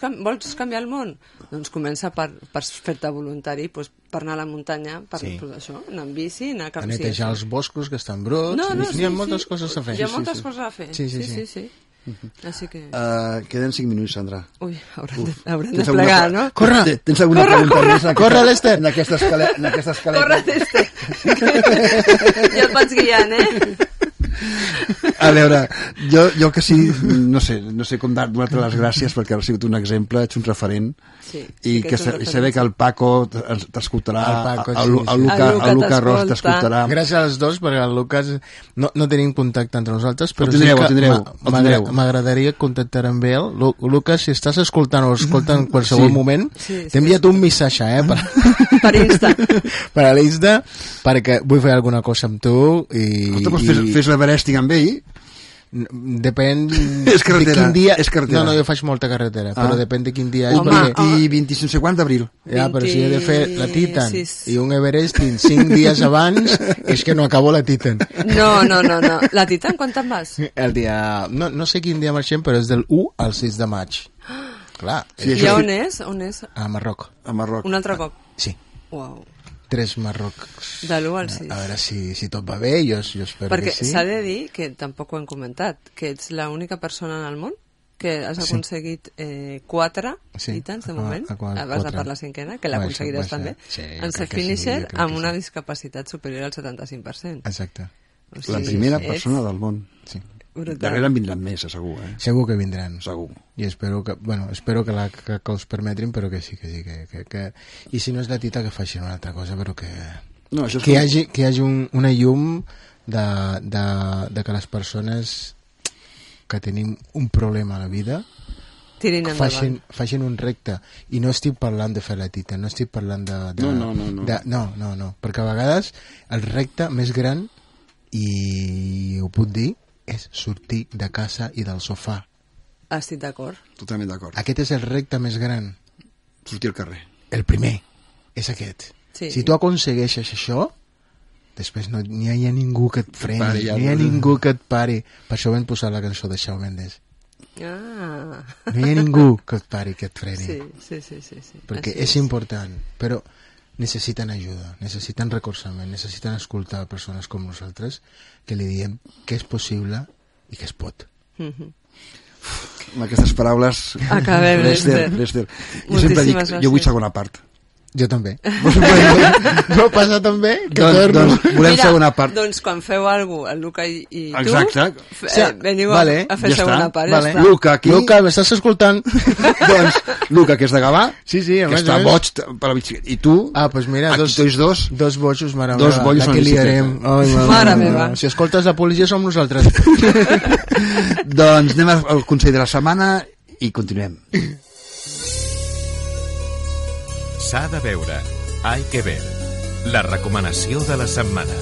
canviar el món? Doncs comença per fer-te voluntari, per anar a la muntanya, per això, anar amb bici, anar cap... A netejar els boscos que estan bruts, n'hi ha moltes coses a fer. Hi ha moltes coses a fer, sí. Així que... Queden 5 minuts, Sandra. Ui, haurem de plegar, no? Corre! Tens alguna pregunta més? Corre, l'Ester! En aquesta escaleta. Corre, l'Ester! Ja et vaig guiant, A veure, jo que sí, no sé com donar-te les gràcies perquè has sigut un exemple, ets un referent, i saber que el Paco t'escoltarà, el Lucas Ros t'escoltarà. Gràcies als dos, perquè el Lucas no tenim contacte entre nosaltres, però tindreu. M'agradaria contactar amb ell. Lucas, si estàs escoltant o escolta en qualsevol moment, t'he enviat un missatge per Insta, per a l'Insta, perquè vull fer alguna cosa amb tu i fes l'Everesting amb ell. Depèn de quin dia. No, jo faig molta carretera, però depèn de quin dia. I 25 d'abril. Ja, però si he de fer la Titan i un Everesting 5 dies abans, és que no acabo la Titan. No. La Titan, quan te'n vas? El dia... No sé quin dia marxem, però és del 1 al 6 de maig. Clar. I on és? A Marroc. Un altre cop? Sí. Uau. 3 Marrocs. De l'1 al 6. A veure si tot va bé, jo espero perquè que sí. Perquè s'ha de dir, que tampoc ho hem comentat, que ets l'única persona en el món que has aconseguit 4 titans de moment, vas a per la 5ª, que l'aconseguiràs també, en ser finisher amb una discapacitat superior al 75%. Exacte. O sigui, la primera persona del món. Sí. Darrere en vindran més, segur. Segur que vindran. Segur. I espero que els permetin, però que sí. I si no és de Tita, que facin una altra cosa, però que hi hagi una llum de que les persones que tenim un problema a la vida facin un recte. I no estic parlant de fer la Tita, no estic parlant no, perquè a vegades el recte més gran, i ho puc dir, és sortir de casa i del sofà. Estic d'acord. Totalment d'acord. Aquest és el repte més gran. Sortir al carrer. El primer és aquest. Sí. Si tu aconsegueixes això, després no hi ha ningú que et freni, no hi ha ningú que et pari. Per això vam posar la cançó de Shawn Mendes. No hi ha ningú que et pari, que et freni. Sí. Perquè és important, però necessiten ajuda, necessiten recolzament, necessiten escoltar persones com nosaltres que li diem que és possible i que es pot. Amb aquestes paraules... Acabem, Lester. Jo sempre dic, jo vull segona part. Jo també. No passa també? Doncs volem segona part. Doncs quan feu alguna cosa, el Luca i tu, exacte. Veniu a fer segona part. Vale. Luca, aquí... Luca, m'estàs escoltant? Doncs Luca, que és de Gavà, sí, que està boig per la bicicleta. I tu, pues mira, dos bojos, mare meva. Dos bojos la que liarem. Mare meva. Si escoltes la policia som nosaltres. Doncs anem al consell de la setmana i continuem. S'ha de veure, hay que ver. La recomanació de la setmana.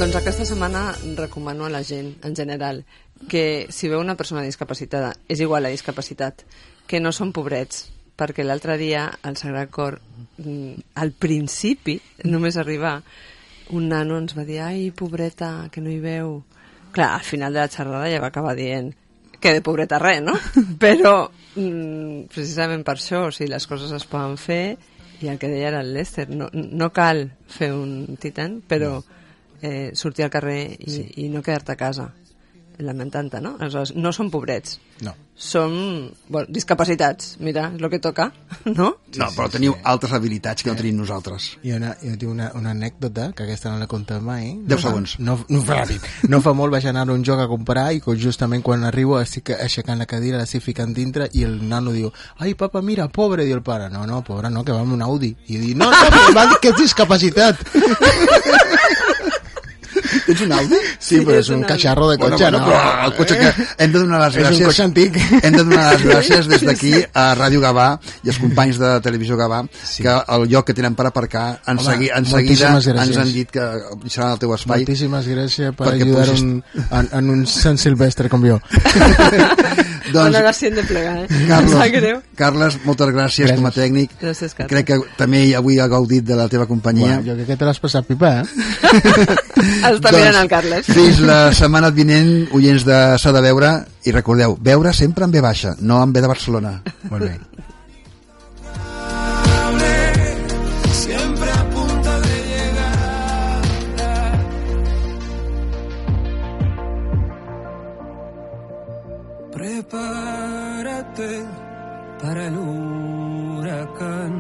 Doncs aquesta setmana recomano a la gent, en general, que si veu una persona discapacitada, és igual la discapacitat, que no són pobrets, perquè l'altre dia al Sagrat Cor, al principi, només arribar, un nano ens va dir, ai, pobreta, que no hi veu. Clar, al final de la xerrada ja va acabar dient que de pobreta res, no? Però precisament per això, o sigui, les coses es poden fer i el que deia era el Lester, no cal fer un Titan, però sortir al carrer i no quedar-te a casa lamentant-te, no? Aleshores, no som pobrets. No. Som discapacitats, mira, és el que toca, no? No, però teniu altres habilitats que no tenim nosaltres. Jo tinc una anècdota, que aquesta no la contat mai. 10 segons. No ràpid. No fa molt vaig anar a un joc a comprar i justament quan arribo estic aixecant la cadira, l'estic ficant dintre i el nano diu, ai papa, mira, pobre, diu el pare. No, pobre no, que va amb un Audi. I diu, no, m'ha dit que és discapacitat. Tens un Audi? Sí, però és un cacharro de cotxe, no? Però el cotxe que hem de donar les gràcies... És un cotxe antic. Hem de donar les gràcies des d'aquí a Ràdio Gavà i als companys de Televisió Gavà, que el lloc que tenen per aparcar en seguida ens han dit que serà el teu espai. Moltíssimes gràcies per ajudar en un Sant Silvestre com jo. Doncs, ara sí hem de plegar, Carles, moltes gràcies com a tècnic. Gràcies, Carles. Crec que també avui ha gaudit de la teva companyia. Jo crec que te l'has passat pipa, Està mirant el Carles. Fins la setmana vinent, oients de S'ha de veure, i recordeu, veure sempre en B baixa, no en B de Barcelona. Molt bé. Siempre a punto de llegar. Prepárate para el huracán.